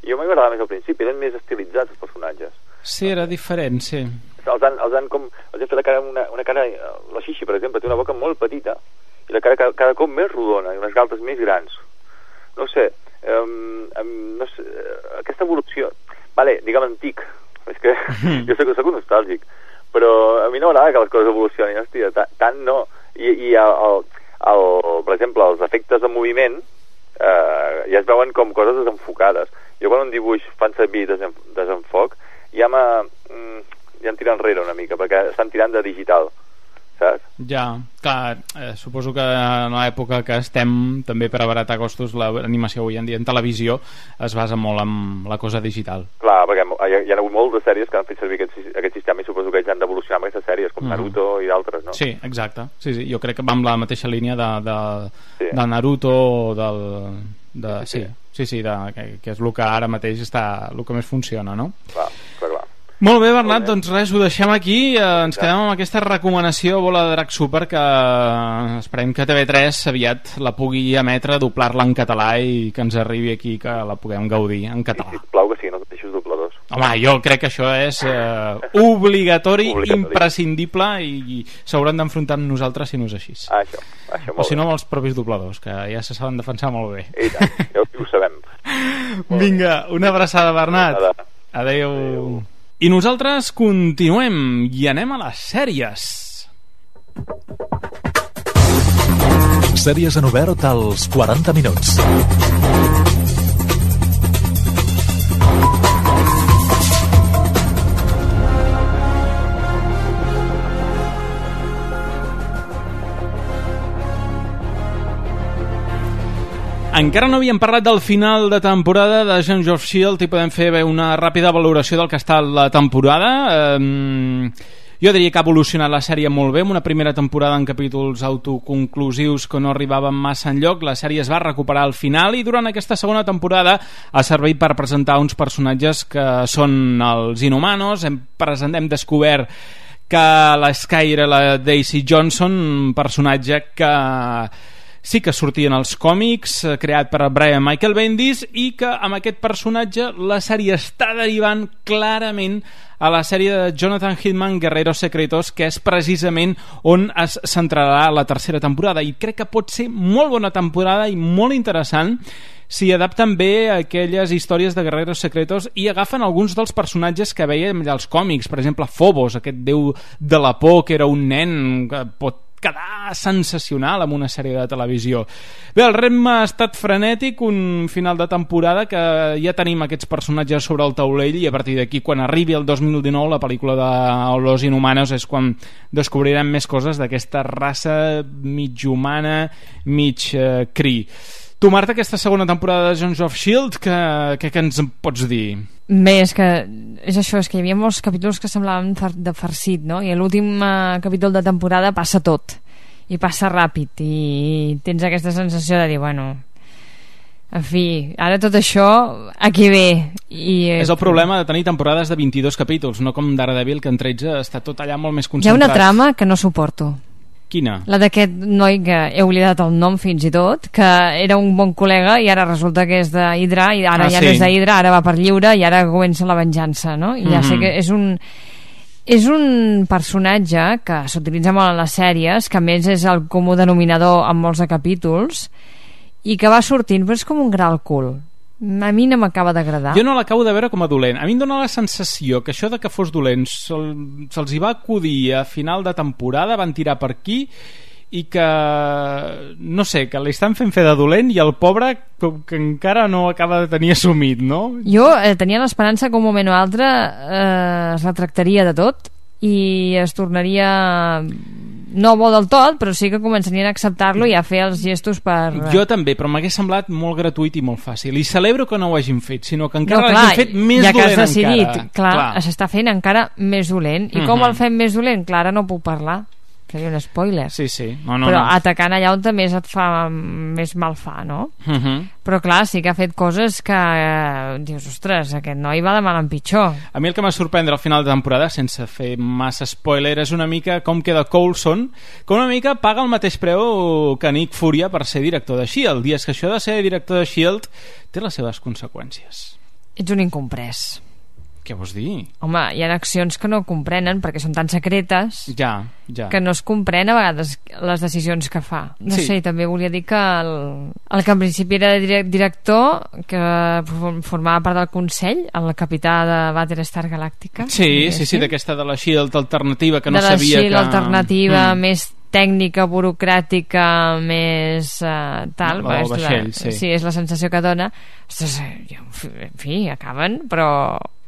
jo m'agradava més al principi, eren més estilitzats els personatges. Sí, era diferent, sí. Els han, els han com, els han fet la cara, una, una cara, la Xixi, per exemple, té una boca molt petita, i la cara cada, cada cop més rodona, i unes galtes més grans. No sé, um, um, no sé, aquesta evolució, vale, digue'm antic, és que jo soc, soc un nostàlgic, però a mi no m'agrada que les coses evolucionin, hòstia, tant no. I, i el, el, el, per exemple, els efectes de moviment eh, ja es veuen com coses desenfocades. Jo quan un dibuix fan servir desen, desenfoc ja, ja em tira enrere una mica perquè estan tirant de digital, saps? Ja, clar, eh, suposo que en l'època que estem també per abaratar costos l'animació avui en dia en televisió es basa molt en la cosa digital. Clar, perquè hi ha, hi ha hagut moltes sèries que han fet servir aquest, aquest sistema i suposo que ells han d'evolucionar amb aquestes sèries, com Naruto mm. i d'altres, no? Sí, exacte. Sí, sí. Jo crec que va amb la mateixa línia de, de, sí. de Naruto, del, de, sí, sí, sí, sí de, que, que és el que ara mateix està el que més funciona, no? Clar, clar, clar. Molt bé, Bernat, bé. Doncs res, ho deixem aquí, eh, ens ja. quedem amb aquesta recomanació Bola de Drac Super, que esperem que T V tres aviat la pugui emetre, doblar-la en català i que ens arribi aquí, que la puguem gaudir en català. I sisplau que sí, no deixis dobladors. Home, jo crec que això és eh, obligatori, obligatori, imprescindible, i, i s'hauran d'enfrontar amb nosaltres si no és així. Ah, això, això molt o si no bé. amb els propis dobladors, que ja se saben defensar molt bé. I tant, ja ho sabem. Vinga, una abraçada, Bernat. Adéu. Adéu. Adéu. I nosaltres continuem i anem a les sèries. Sèries en obert als quaranta minuts. Encara no havíem parlat del final de temporada de Agents of S H I E L D i podem fer bé una ràpida valoració del que està la temporada. Um, jo diria que ha evolucionat la sèrie molt bé, amb una primera temporada en capítols autoconclusius que no arribaven massa enlloc. La sèrie es va recuperar al final i durant aquesta segona temporada ha servit per presentar uns personatges que són els Inhumanos. Hem, present, hem descobert que la Sky era la Daisy Johnson, un personatge que sí que sortia en els còmics, creat per Brian Michael Bendis, i que amb aquest personatge la sèrie està derivant clarament a la sèrie de Jonathan Hickman, Guerreros Secretos, que és precisament on es centrarà la tercera temporada, i crec que pot ser molt bona temporada i molt interessant si adapten bé aquelles històries de Guerreros Secretos i agafen alguns dels personatges que veiem als còmics, per exemple Phobos, aquest déu de la por que era un nen que pot quedar sensacional amb una sèrie de televisió. Bé, el ritme ha estat frenètic, un final de temporada que ja tenim aquests personatges sobre el taulell, i a partir d'aquí, quan arribi el dos mil dinou, la pel·lícula de Los Inhumanos, és quan descobrirem més coses d'aquesta raça mig humana, mig eh, cri. Tu, Marta, aquesta segona temporada de Agents of S H I E L D, que, que, que ens pots dir? Bé, és que és això, és que hi havia molts capítols que semblaven de farcit, no? I a l'últim eh, capítol de temporada passa tot, i passa ràpid, i tens aquesta sensació de dir, bueno, en fi, ara tot això aquí ve. I, eh, és el problema de tenir temporades de vint-i-dos capítols, no com Daredevil, que en tretze està tot allà molt més concentrat. Hi ha una trama que no suporto. Quina? La d'aquest noi que he oblidat el nom fins i tot, que era un bon col·lega i ara resulta que és d'Hydra, i ara ah, ja sí. no és d'Hydra, ara va per lliure i ara comença la venjança, no? I ja mm-hmm. sé que és un és un personatge que s'utilitza molt en les sèries, que a més és el comú denominador en molts de capítols, i que va sortint, però és com un gra al cul. A mi no m'acaba d'agradar. Jo no l'acabo de veure com a dolent. A mi em dóna la sensació que això de que fos dolent se'ls se hi va acudir a final de temporada, van tirar per aquí, i que no sé, que li estan fent fer de dolent, i el pobre que encara no acaba de tenir assumit, no? Jo eh, tenia l'esperança que un moment o altre eh, es retractaria de tot i es tornaria no bo del tot, però sí que començarien a acceptar-lo i a fer els gestos per... Jo també, però m'hagués semblat molt gratuït i molt fàcil, i celebro que no ho hagin fet, sinó que encara no, clar, l'hagin fet més ja dolent que has decidit, encara. Clar, clar. S'està fent encara més dolent. I uh-huh. com el fem més dolent? Clar, ara no puc parlar, seria un spoiler. Sí, sí. No, no, però no. atacant allà on més et fa més mal fa, no? Uh-huh. Però clar, sí que ha fet coses que eh, dius, ostres, aquest noi va de mal en pitjor. A mi el que m'ha sorprendre al final de temporada, sense fer massa spoiler, és una mica com queda Coulson, que una mica paga el mateix preu que Nick Furia per ser director de S H I E L D, i és que això de ser director de S H I E L D té les seves conseqüències. Ets un incomprès. Què vols dir? Home, hi ha accions que no comprenen perquè són tan secretes ja, ja. que no es comprèn a vegades les decisions que fa. No sí. sé, també volia dir que el, el que en principi era director, que formava part del Consell, el capità de Battlestar Galàctica. Sí, sí, sí, d'aquesta de la S H I E L D alternativa que no sabia que... De la S H I E L D alternativa, mm. més tècnica, burocràtica, més uh, tal, no, és vaixell, la, sí. sí, és la sensació que dona. Ostres, en fi, acaben, però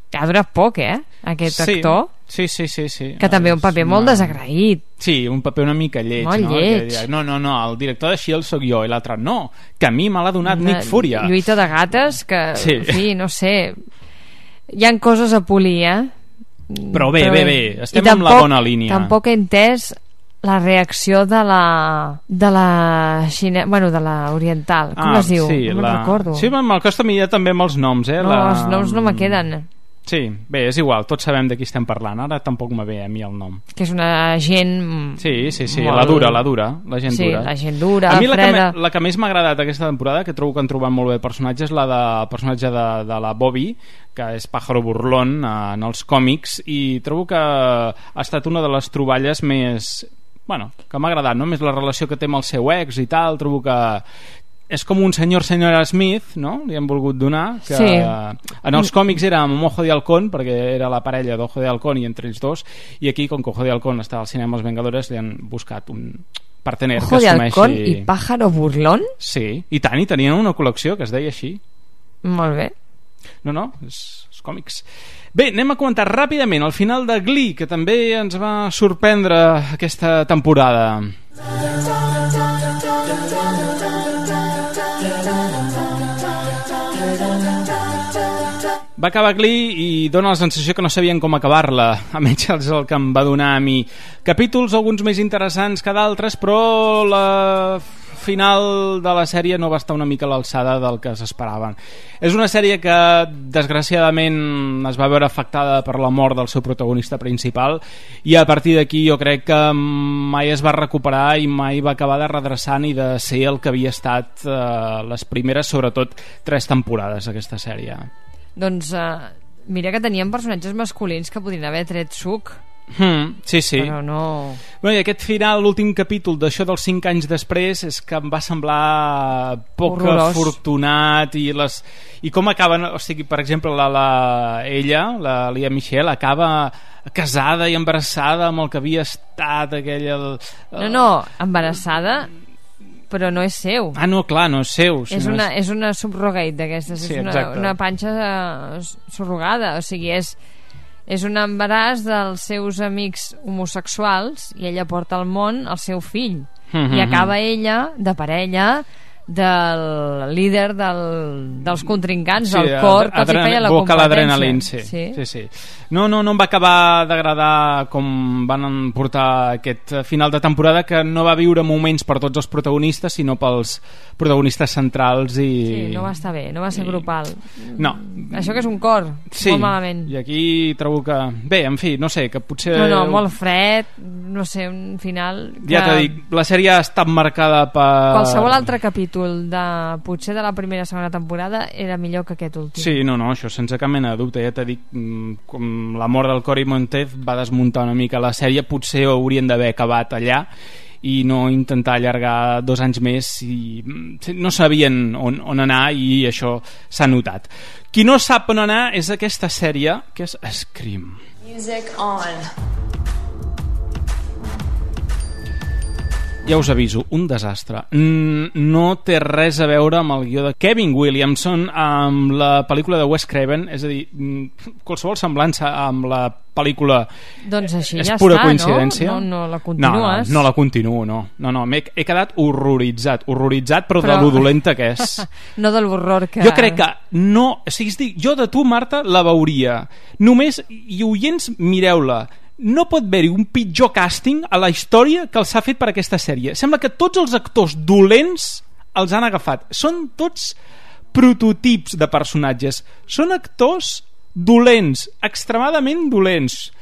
ha durat poc, eh, aquest sí. actor. Sí, sí, sí, sí. Que també un paper molt desagraït. Sí, un paper una mica lleig. Molt no? lleig. No, no, no, el director de S H I E L D soc jo, i l'altre no, que a mi me l'ha donat una Nick Furia. Lluita de gates, que, sí. en fi, no sé... hi ha coses a polir, eh? Però bé, bé, bé, estem tampoc, en la bona línia. Tampoc he entès la reacció de la de la xine... bueno, de la oriental, com ah, es diu? Sí, no la... me'n recordo. Sí, me'l costa a mi també amb els noms, eh? No, la... els noms no me queden. Sí, bé, és igual, tots sabem de qui estem parlant. Ara tampoc me ve a mi el nom. Que és una gent... Sí, sí, sí, molt... la dura, la dura, la gent sí, dura. Sí, la gent dura, a mi la freda. que, la que més m'ha agradat aquesta temporada, que trobo que han trobat molt bé el personatge, és la de, el personatge de, de la Bobby, que és Pájaro Burlón en els còmics, i trobo que ha estat una de les troballes més... bueno, que m'ha agradat, no? Més la relació que té amb el seu ex i tal, trobo que és com un senyor senyora Smith, no? Li han volgut donar, que sí. En els còmics era amb Ojo de Halcón, perquè era la parella d'Ojo de Halcón i entre ells dos, i aquí, com que Ojo de Halcón està al cinema Els Vengadores, li han buscat un partener Ojo que de assumeixi... Halcón i Pájaro Burlón? Sí, i tant, i tenien una col·lecció que es deia així. Molt bé. No, no, és, és còmics. Bé, anem a comentar ràpidament el final de Glee, que també ens va sorprendre aquesta temporada. Va acabar Glee i dona la sensació que no sabien com acabar-la, almenys és el que em va donar a mi. Capítols alguns més interessants que d'altres, però la final de la sèrie no va estar una mica a l'alçada del que s'esperaven. És una sèrie que desgraciadament es va veure afectada per la mort del seu protagonista principal, i a partir d'aquí jo crec que mai es va recuperar i mai va acabar de redreçar ni de ser el que havia estat eh, les primeres, sobretot, tres temporades d'aquesta sèrie. Doncs uh, mira que tenien personatges masculins que podrien haver tret suc. Hmm, sí, sí. Però no... Bueno, i aquest final, l'últim capítol d'això dels cinc anys després, és que em va semblar poc horrorós, afortunat, i, les, i com acaben, o sigui, per exemple, la, la, ella, la Lea Michele, acaba casada i embarassada amb el que havia estat aquella... El... No, no, embarassada... però no és seu. Ah, no, clar, no és seu. És una, és... és una subrogate d'aquestes, sí, és una, una panxa uh, surrogada, o sigui, és, és un embaràs dels seus amics homosexuals i ella porta al món el seu fill. Mm-hmm. I acaba ella de parella del líder del, dels contrincants, sí, del cor que els hi feia la competència. Sí. Sí, sí. No, no, no em va acabar d'agradar com van portar aquest final de temporada, que no va viure moments per tots els protagonistes, sinó pels protagonistes centrals. I... Sí, no va estar bé, no va ser I... grupal. No. Això que és un cor, sí, molt malament. I aquí trobo que... Bé, en fi, no sé, que potser... No, no, molt fred, no sé, un final... Que... Ja t'he dit, la sèrie ha estat marcada per... Qualsevol altre capítol de potser de la primera o segona temporada era millor que aquest últim. Sí, no, no, això sense cap mena de dubte. Ja t'he dit, com la mort del Cory Monteith va desmuntar una mica la sèrie, potser haurien d'haver acabat allà i no intentar allargar dos anys més, i no sabien on, on anar, i això s'ha notat. Qui no sap on anar és aquesta sèrie, que és Scream. Music on. Ja us aviso, un desastre. No té res a veure amb el guió de Kevin Williamson, amb la pel·lícula de Wes Craven, és a dir, qualsevol semblança amb la pel·lícula doncs així és ja pura està, coincidència. No? No, no la continues. No, no la continuo, no. No, no, he, he quedat horroritzat, horroritzat, però, però... de lo dolenta que és. No de l'horror que... Jo crec que no... O sigui, dic, jo de tu, Marta, la veuria. Només, i oients, mireu-la. No pot haver-hi un pitjor càsting a la història que els ha fet per aquesta sèrie. Sembla que tots els actors dolents els han agafat. Són tots prototips de personatges. Són actors dolents, extremadament dolents,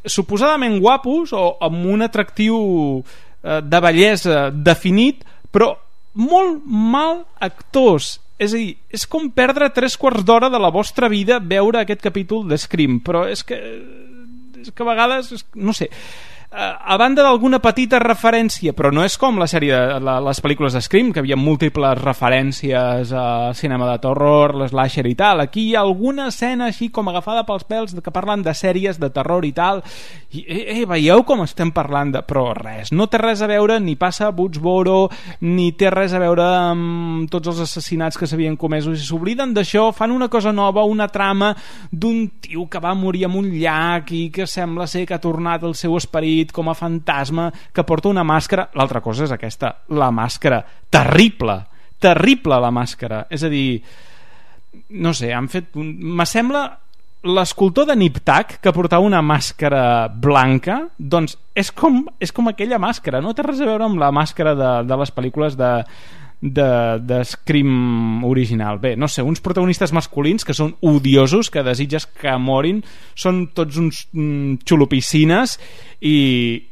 suposadament guapos o amb un atractiu eh, de bellesa definit, però molt mal actors. És a dir, és com perdre tres quarts d'hora de la vostra vida veure aquest capítol de Scream, però és que... és que a vegades, no sé, a banda d'alguna petita referència, però no és com la sèrie de la, les pel·lícules de Scream, que havia múltiples referències a cinema de terror, l'slasher i tal. Aquí hi ha alguna escena així com agafada pels pèls que parlen de sèries de terror i tal, i eh, eh, veieu com estem parlant de... però res, no té res a veure, ni passa a Woodsboro, ni té res a veure amb tots els assassinats que s'havien comès, i s'obliden d'això, fan una cosa nova, una trama d'un tio que va morir en un llac i que sembla ser que ha tornat el seu esperit com a fantasma, que porta una màscara. L'altra cosa és aquesta, la màscara, terrible, terrible la màscara, és a dir, no sé, han fet un... m'assembla l'escultor de Nip Tuck, que portava una màscara blanca, doncs és com, és com aquella màscara, no té res a veure amb la màscara de, de les pel·lícules de, de, de Scream original. Bé, no sé, uns protagonistes masculins que són odiosos, que desitges que morin, són tots uns mm, xulopicines, i,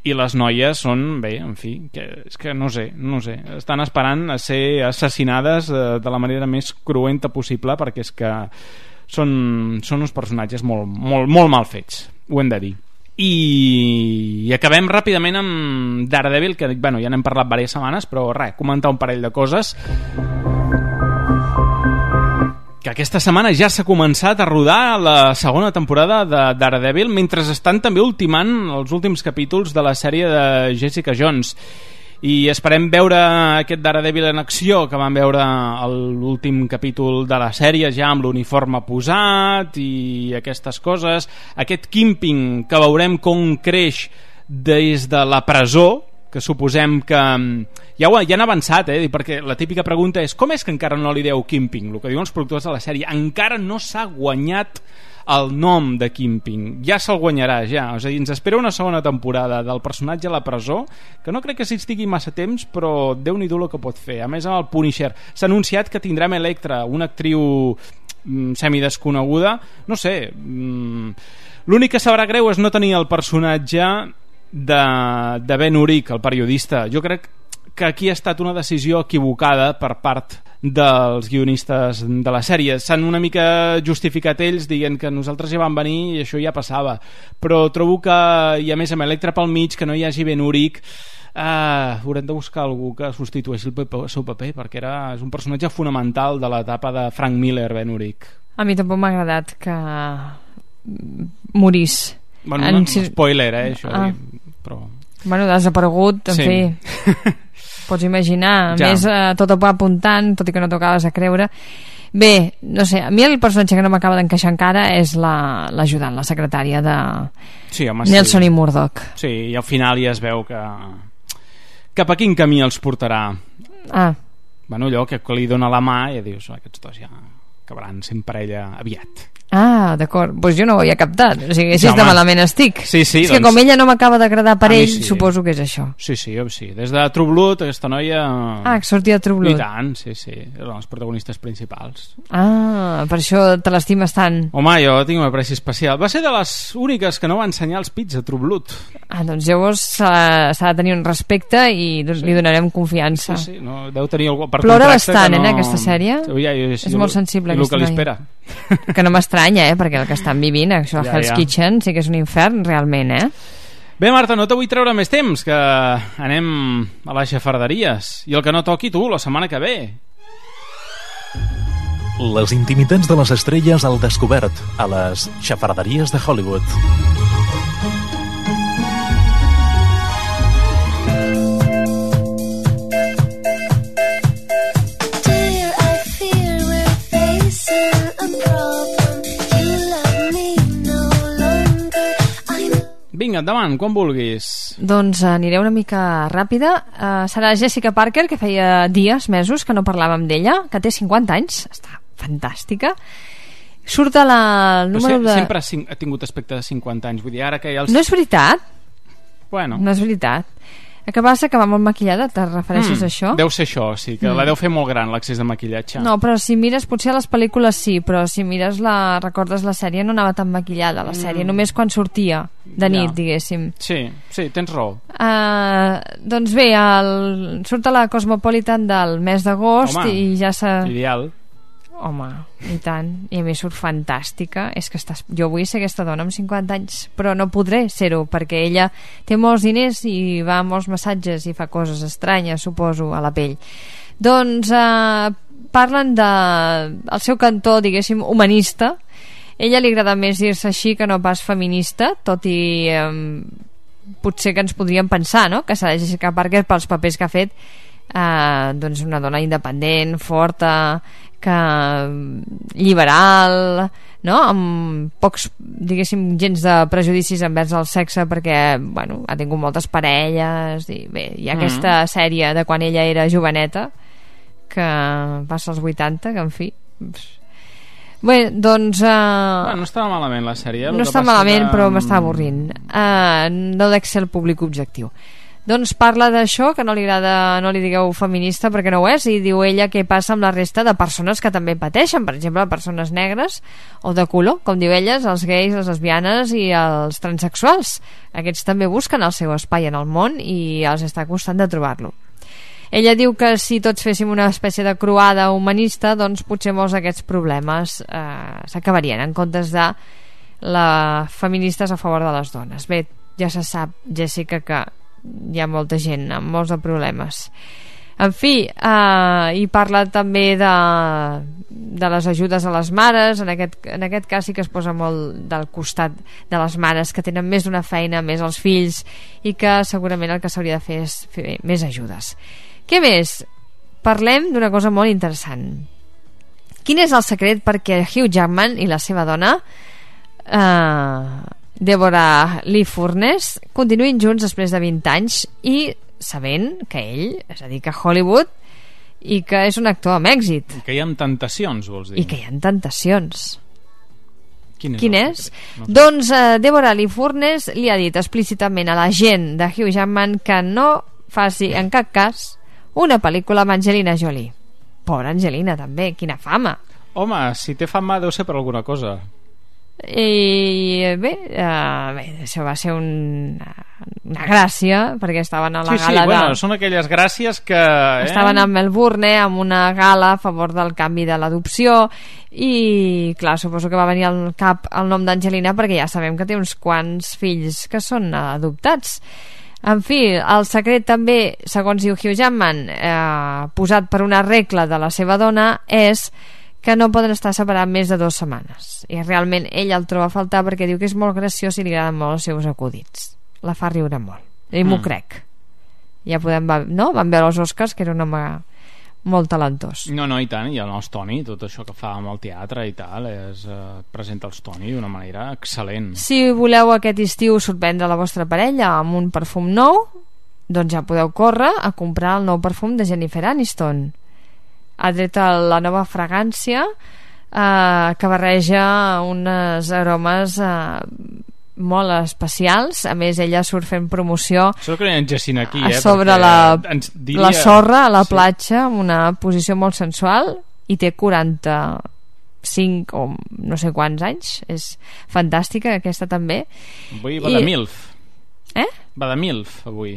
i les noies són, bé, en fi, que, és que no sé, no sé, estan esperant a ser assassinades eh, de la manera més cruenta possible, perquè és que són, són uns personatges molt, molt, molt mal fets, ho hem de dir. I, i acabem ràpidament amb Daredevil, que bueno, ja n'hem parlat diverses setmanes, però res, comentar un parell de coses. Que aquesta setmana ja s'ha començat a rodar la segona temporada de Daredevil, mentre estan també ultimant els últims capítols de la sèrie de Jessica Jones. I esperem veure aquest Daredevil en acció, que vam veure l'últim capítol de la sèrie ja amb l'uniforme posat i aquestes coses, aquest Kingpin que veurem com creix des de la presó, que suposem que ja, ho, ja han avançat, eh? Perquè la típica pregunta és com és que encara no li deu Kingpin? El que diuen els productors de la sèrie, encara no s'ha guanyat el nom de Kingpin, ja se'l guanyarà ja, és a dir, ens espera una segona temporada del personatge a la presó, que no crec que s'hi estigui massa temps, però Déu-n'hi-do el que pot fer. A més, amb el Punisher s'ha anunciat que tindrem Electra, una actriu mm, semidesconeguda, no sé, mm, l'únic que sabrà greu és no tenir el personatge de, de Ben Urich, el periodista. Jo crec que aquí ha estat una decisió equivocada per part dels guionistes de la sèrie. S'han una mica justificat ells dient que nosaltres ja vam venir i això ja passava, però trobo que, i a més amb Electra pel mig, que no hi hagi Ben Urich, uh, haurem de buscar algú que substitueixi el, el seu paper, perquè era, és un personatge fonamental de l'etapa de Frank Miller, Ben Urich. A mi tampoc m'ha agradat que morís. Bueno, en... no, spoiler, eh, això, ah. però... Bueno, desaparegut, en sí. fi... Pots imaginar, a ja. més eh, tot va apuntant, tot i que no t'ho acabes de creure. Bé, no sé, a mi el personatge que no m'acaba d'encaixar encara és l'ajudant, la, la secretària de sí, home, Nelson sí. i Murdoch. Sí, i al final ja es veu que cap a quin camí els portarà. Ah. Bueno, allò que li dona la mà i dius, aquests dos ja acabaran sent parella aviat. Ah, d'acord, doncs pues jo no ho havia captat, o sigui, així de malament estic. Sí, sí, és doncs... que com ella no m'acaba d'agradar per ell, sí. Suposo que és això. Sí, sí, sí, des de True Blood aquesta noia... Ah, que sortia de True Blood. I tant, sí, sí, eren els protagonistes principals. Ah, per això te l'estimes tant. Home, jo tinc una apreci especial. Va ser de les úniques que no va ensenyar els pits a True Blood. Ah, doncs llavors s'ha de tenir un respecte i sí. Li donarem confiança. Sí, sí, no, deu tenir algú per plora contracte bastant, que no... eh, aquesta sèrie. Ja, ja, ja, és molt sensible i aquesta noia. I el que li espera. Que no m'estranya, eh, perquè el que estan vivint, això ja, Hell's ja. Kitchen sí que és un infern realment, eh? Bé, Marta, no te vull treure més temps, que anem a les xafarderies i el que no toqui tu la setmana que ve. Les intimitats de les estrelles al descobert a les xafarderies de Hollywood. Vinga, endavant, quan vulguis. Doncs aniré una mica ràpida. Uh, serà Jessica Parker, que feia dies, mesos, que no parlàvem d'ella, que té cinquanta anys, està fantàstica. Surt a la... El número se, de... Sempre ha tingut aspecte de cinquanta anys, vull dir, ara que ja els... No és veritat. Bueno. No és veritat. El que passa que va molt maquillada, te refereixes mm, a això? Deu ser això, sí, que mm. la deu fer molt gran l'accés de maquillatge. No, però si mires, potser a les pel·lícules sí, però si mires la, recordes la sèrie, no anava tan maquillada la sèrie, mm. només quan sortia de nit, ja. diguéssim. Sí, sí, tens raó. Uh, doncs bé, el, surt a la Cosmopolitan del mes d'agost i ja s'ha... Ideal. Home, i tant, i a mi surt fantàstica. És que estàs... jo vull ser aquesta dona amb cinquanta anys, però no podré ser-ho perquè ella té molts diners i va a molts massatges i fa coses estranyes, suposo, a la pell. Doncs eh, parlen de el seu cantó, diguéssim, humanista. A ella li agrada més dir-se així que no pas feminista, tot i eh, potser que ens podríem pensar, no?, que serà Jessica Parker pels papers que ha fet, eh, doncs una dona independent, forta, que liberal, no?, amb pocs, diguéssim, gens de prejudicis envers el sexe, perquè, bueno, ha tingut moltes parelles i bé, hi ha mm. aquesta sèrie de quan ella era joveneta que passa als vuitanta, que en fi Bé, doncs... Uh... Bueno, no estava malament la sèrie. No està malament, que... però m'està avorrint. Uh, no dec ser el públic objectiu. Doncs parla d'això, que no li agrada, no li digueu feminista perquè no ho és, i diu ella què passa amb la resta de persones que també pateixen, per exemple, persones negres o de color, com diu elles, els gais, les lesbianes i els transexuals. Aquests també busquen el seu espai en el món i els està costant de trobar-lo. Ella diu que si tots féssim una espècie de croada humanista, doncs potser molts d'aquests problemes eh, s'acabarien, en comptes de la feministes a favor de les dones. Bé, ja se sap, Jessica, que hi ha molta gent amb molts de problemes. En fi, eh, i parla també de, de les ajudes a les mares. En aquest, en aquest cas sí que es posa molt del costat de les mares que tenen més d'una feina, més els fills, i que segurament el que s'hauria de fer és fer més ajudes. Què més? Parlem d'una cosa molt interessant. Quin és el secret perquè Hugh Jackman i la seva dona, eh, Deborah Lee Furness, continuïn junts després de vint anys i sabent que ell es dedica a Hollywood i que és un actor amb èxit. I que hi ha tentacions, vols dir? I que hi ha tentacions. Quin és? Quin és? No sé. Doncs uh, Deborah Lee Furness li ha dit explícitament a la gent de Hugh Jackman que no faci en cap cas una pel·lícula amb Angelina Jolie. Pobra Angelina, també, quina fama. Home, si té fama deu ser per alguna cosa. I bé, uh, bé això va ser un, una gràcia perquè estaven a la sí, gala sí, bueno, de... són aquelles gràcies que eh? estaven a Melbourne eh, amb una gala a favor del canvi de l'adopció i clar, suposo que va venir al cap el nom d'Angelina perquè ja sabem que té uns quants fills que són adoptats. En fi, el secret també, segons diu Hugh Jackman, eh, posat per una regla de la seva dona, és que no poden estar separats més de dues setmanes. I realment ell el troba a faltar perquè diu que és molt graciós i li agraden molt els seus acudits. La fa riure molt. I m'ho mm. crec. Ja podem... No? Vam veure els Oscars, que era un home molt talentós. No, no, i tant. I el nostre Toni, tot això que fa amb el teatre i tal, és, eh, presenta els Toni d'una manera excel·lent. Si voleu aquest estiu sorprendre la vostra parella amb un perfum nou, doncs ja podeu córrer a comprar el nou perfum de Jennifer Aniston. Ha tret la nova fragància eh, que barreja unes aromes eh, molt especials. A més, ella surt fent promoció Sóc que enllacint aquí, eh, sobre la, diria... la sorra a la sí. platja, amb una posició molt sensual, i té quaranta-cinc o no sé quants anys. És fantàstica aquesta també. Avui va I... de MILF. Eh? Va de MILF avui.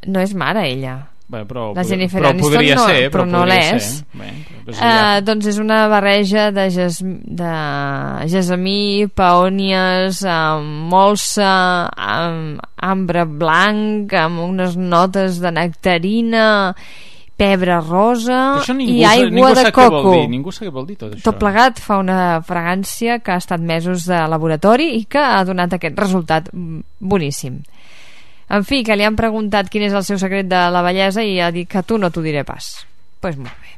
No és mare ella. Bé, però, la Jennifer però Aniston podria no, ser, però, però no l'és. Uh, doncs és una barreja de, ges, de gesamí, peònies, amb molsa, amb ambre blanc, amb unes notes de nectarina, pebre rosa i aigua de coco. Ningú sap què vol dir tot això. Tot plegat fa una fragància que ha estat mesos de laboratori i que ha donat aquest resultat boníssim. En fi, que li han preguntat quin és el seu secret de la bellesa i ha dit que tu no t'ho diré pas. Doncs pues molt bé.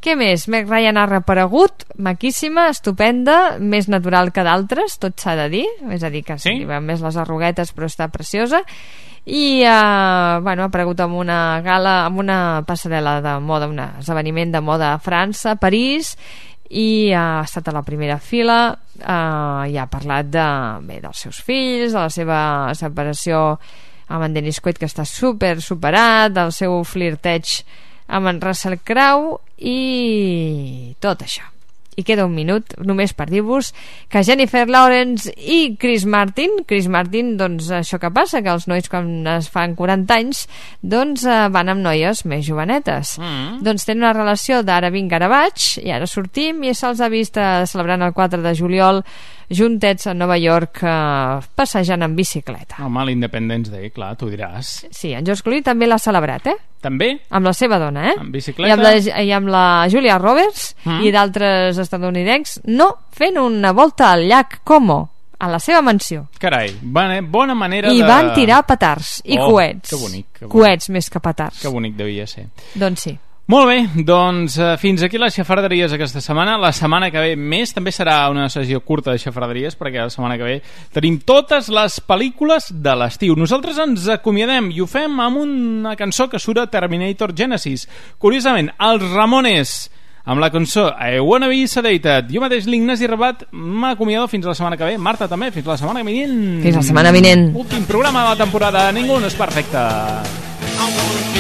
Què més? Meg Ryan ha reaparegut, maquíssima, estupenda, més natural que d'altres, tot s'ha de dir, és a dir, que sí? Li van més les arruguetes, però està preciosa. I eh, bueno, ha aparegut amb una gala, amb una passarel·la de moda, un esdeveniment de moda a França, a París, i ha estat a la primera fila, eh, i ha parlat de, bé, dels seus fills, de la seva separació amb en Dennis Quaid, que està super superat, del seu flirteig amb en Russell Crowe i tot això. I queda un minut només per dir-vos que Jennifer Lawrence i Chris Martin Chris Martin, doncs això que passa, que els nois quan es fan quaranta anys doncs eh, van amb noies més jovenetes. Mm. Doncs tenen una relació d'ara vinc, ara vaig, i ara sortim, i se'ls ha vist eh, celebrant el quatre de juliol juntets a Nova York, eh, passejant en bicicleta. Home, l'Independence Day, clar, tu diràs. Sí, en George Clooney també l'ha celebrat, eh? També? Amb la seva dona, eh? En bicicleta? I amb la, i amb la Julia Roberts mm. i d'altres estadounidencs, no, fent una volta al llac Como, a la seva mansió. Carai, bona, bona manera I de... I van tirar petards i oh, coets. Que bonic, que bonic. Coets més que petards. Que bonic devia ser. Doncs sí. Molt bé, doncs eh, fins aquí les xafarderies aquesta setmana. La setmana que ve més, també serà una sessió curta de xafarderies, perquè la setmana que ve tenim totes les pel·lícules de l'estiu. Nosaltres ens acomiadem i ho fem amb una cançó que surt a Terminator Genesis. Curiosament, els Ramones amb la cançó I Wanna Be Sedated. Jo mateix, l'Ignasi Rabat, m'acomiado fins la setmana que ve. Marta també, fins la setmana vinent. Fins la setmana vinent. Últim programa de la temporada. Ningú no és perfecte.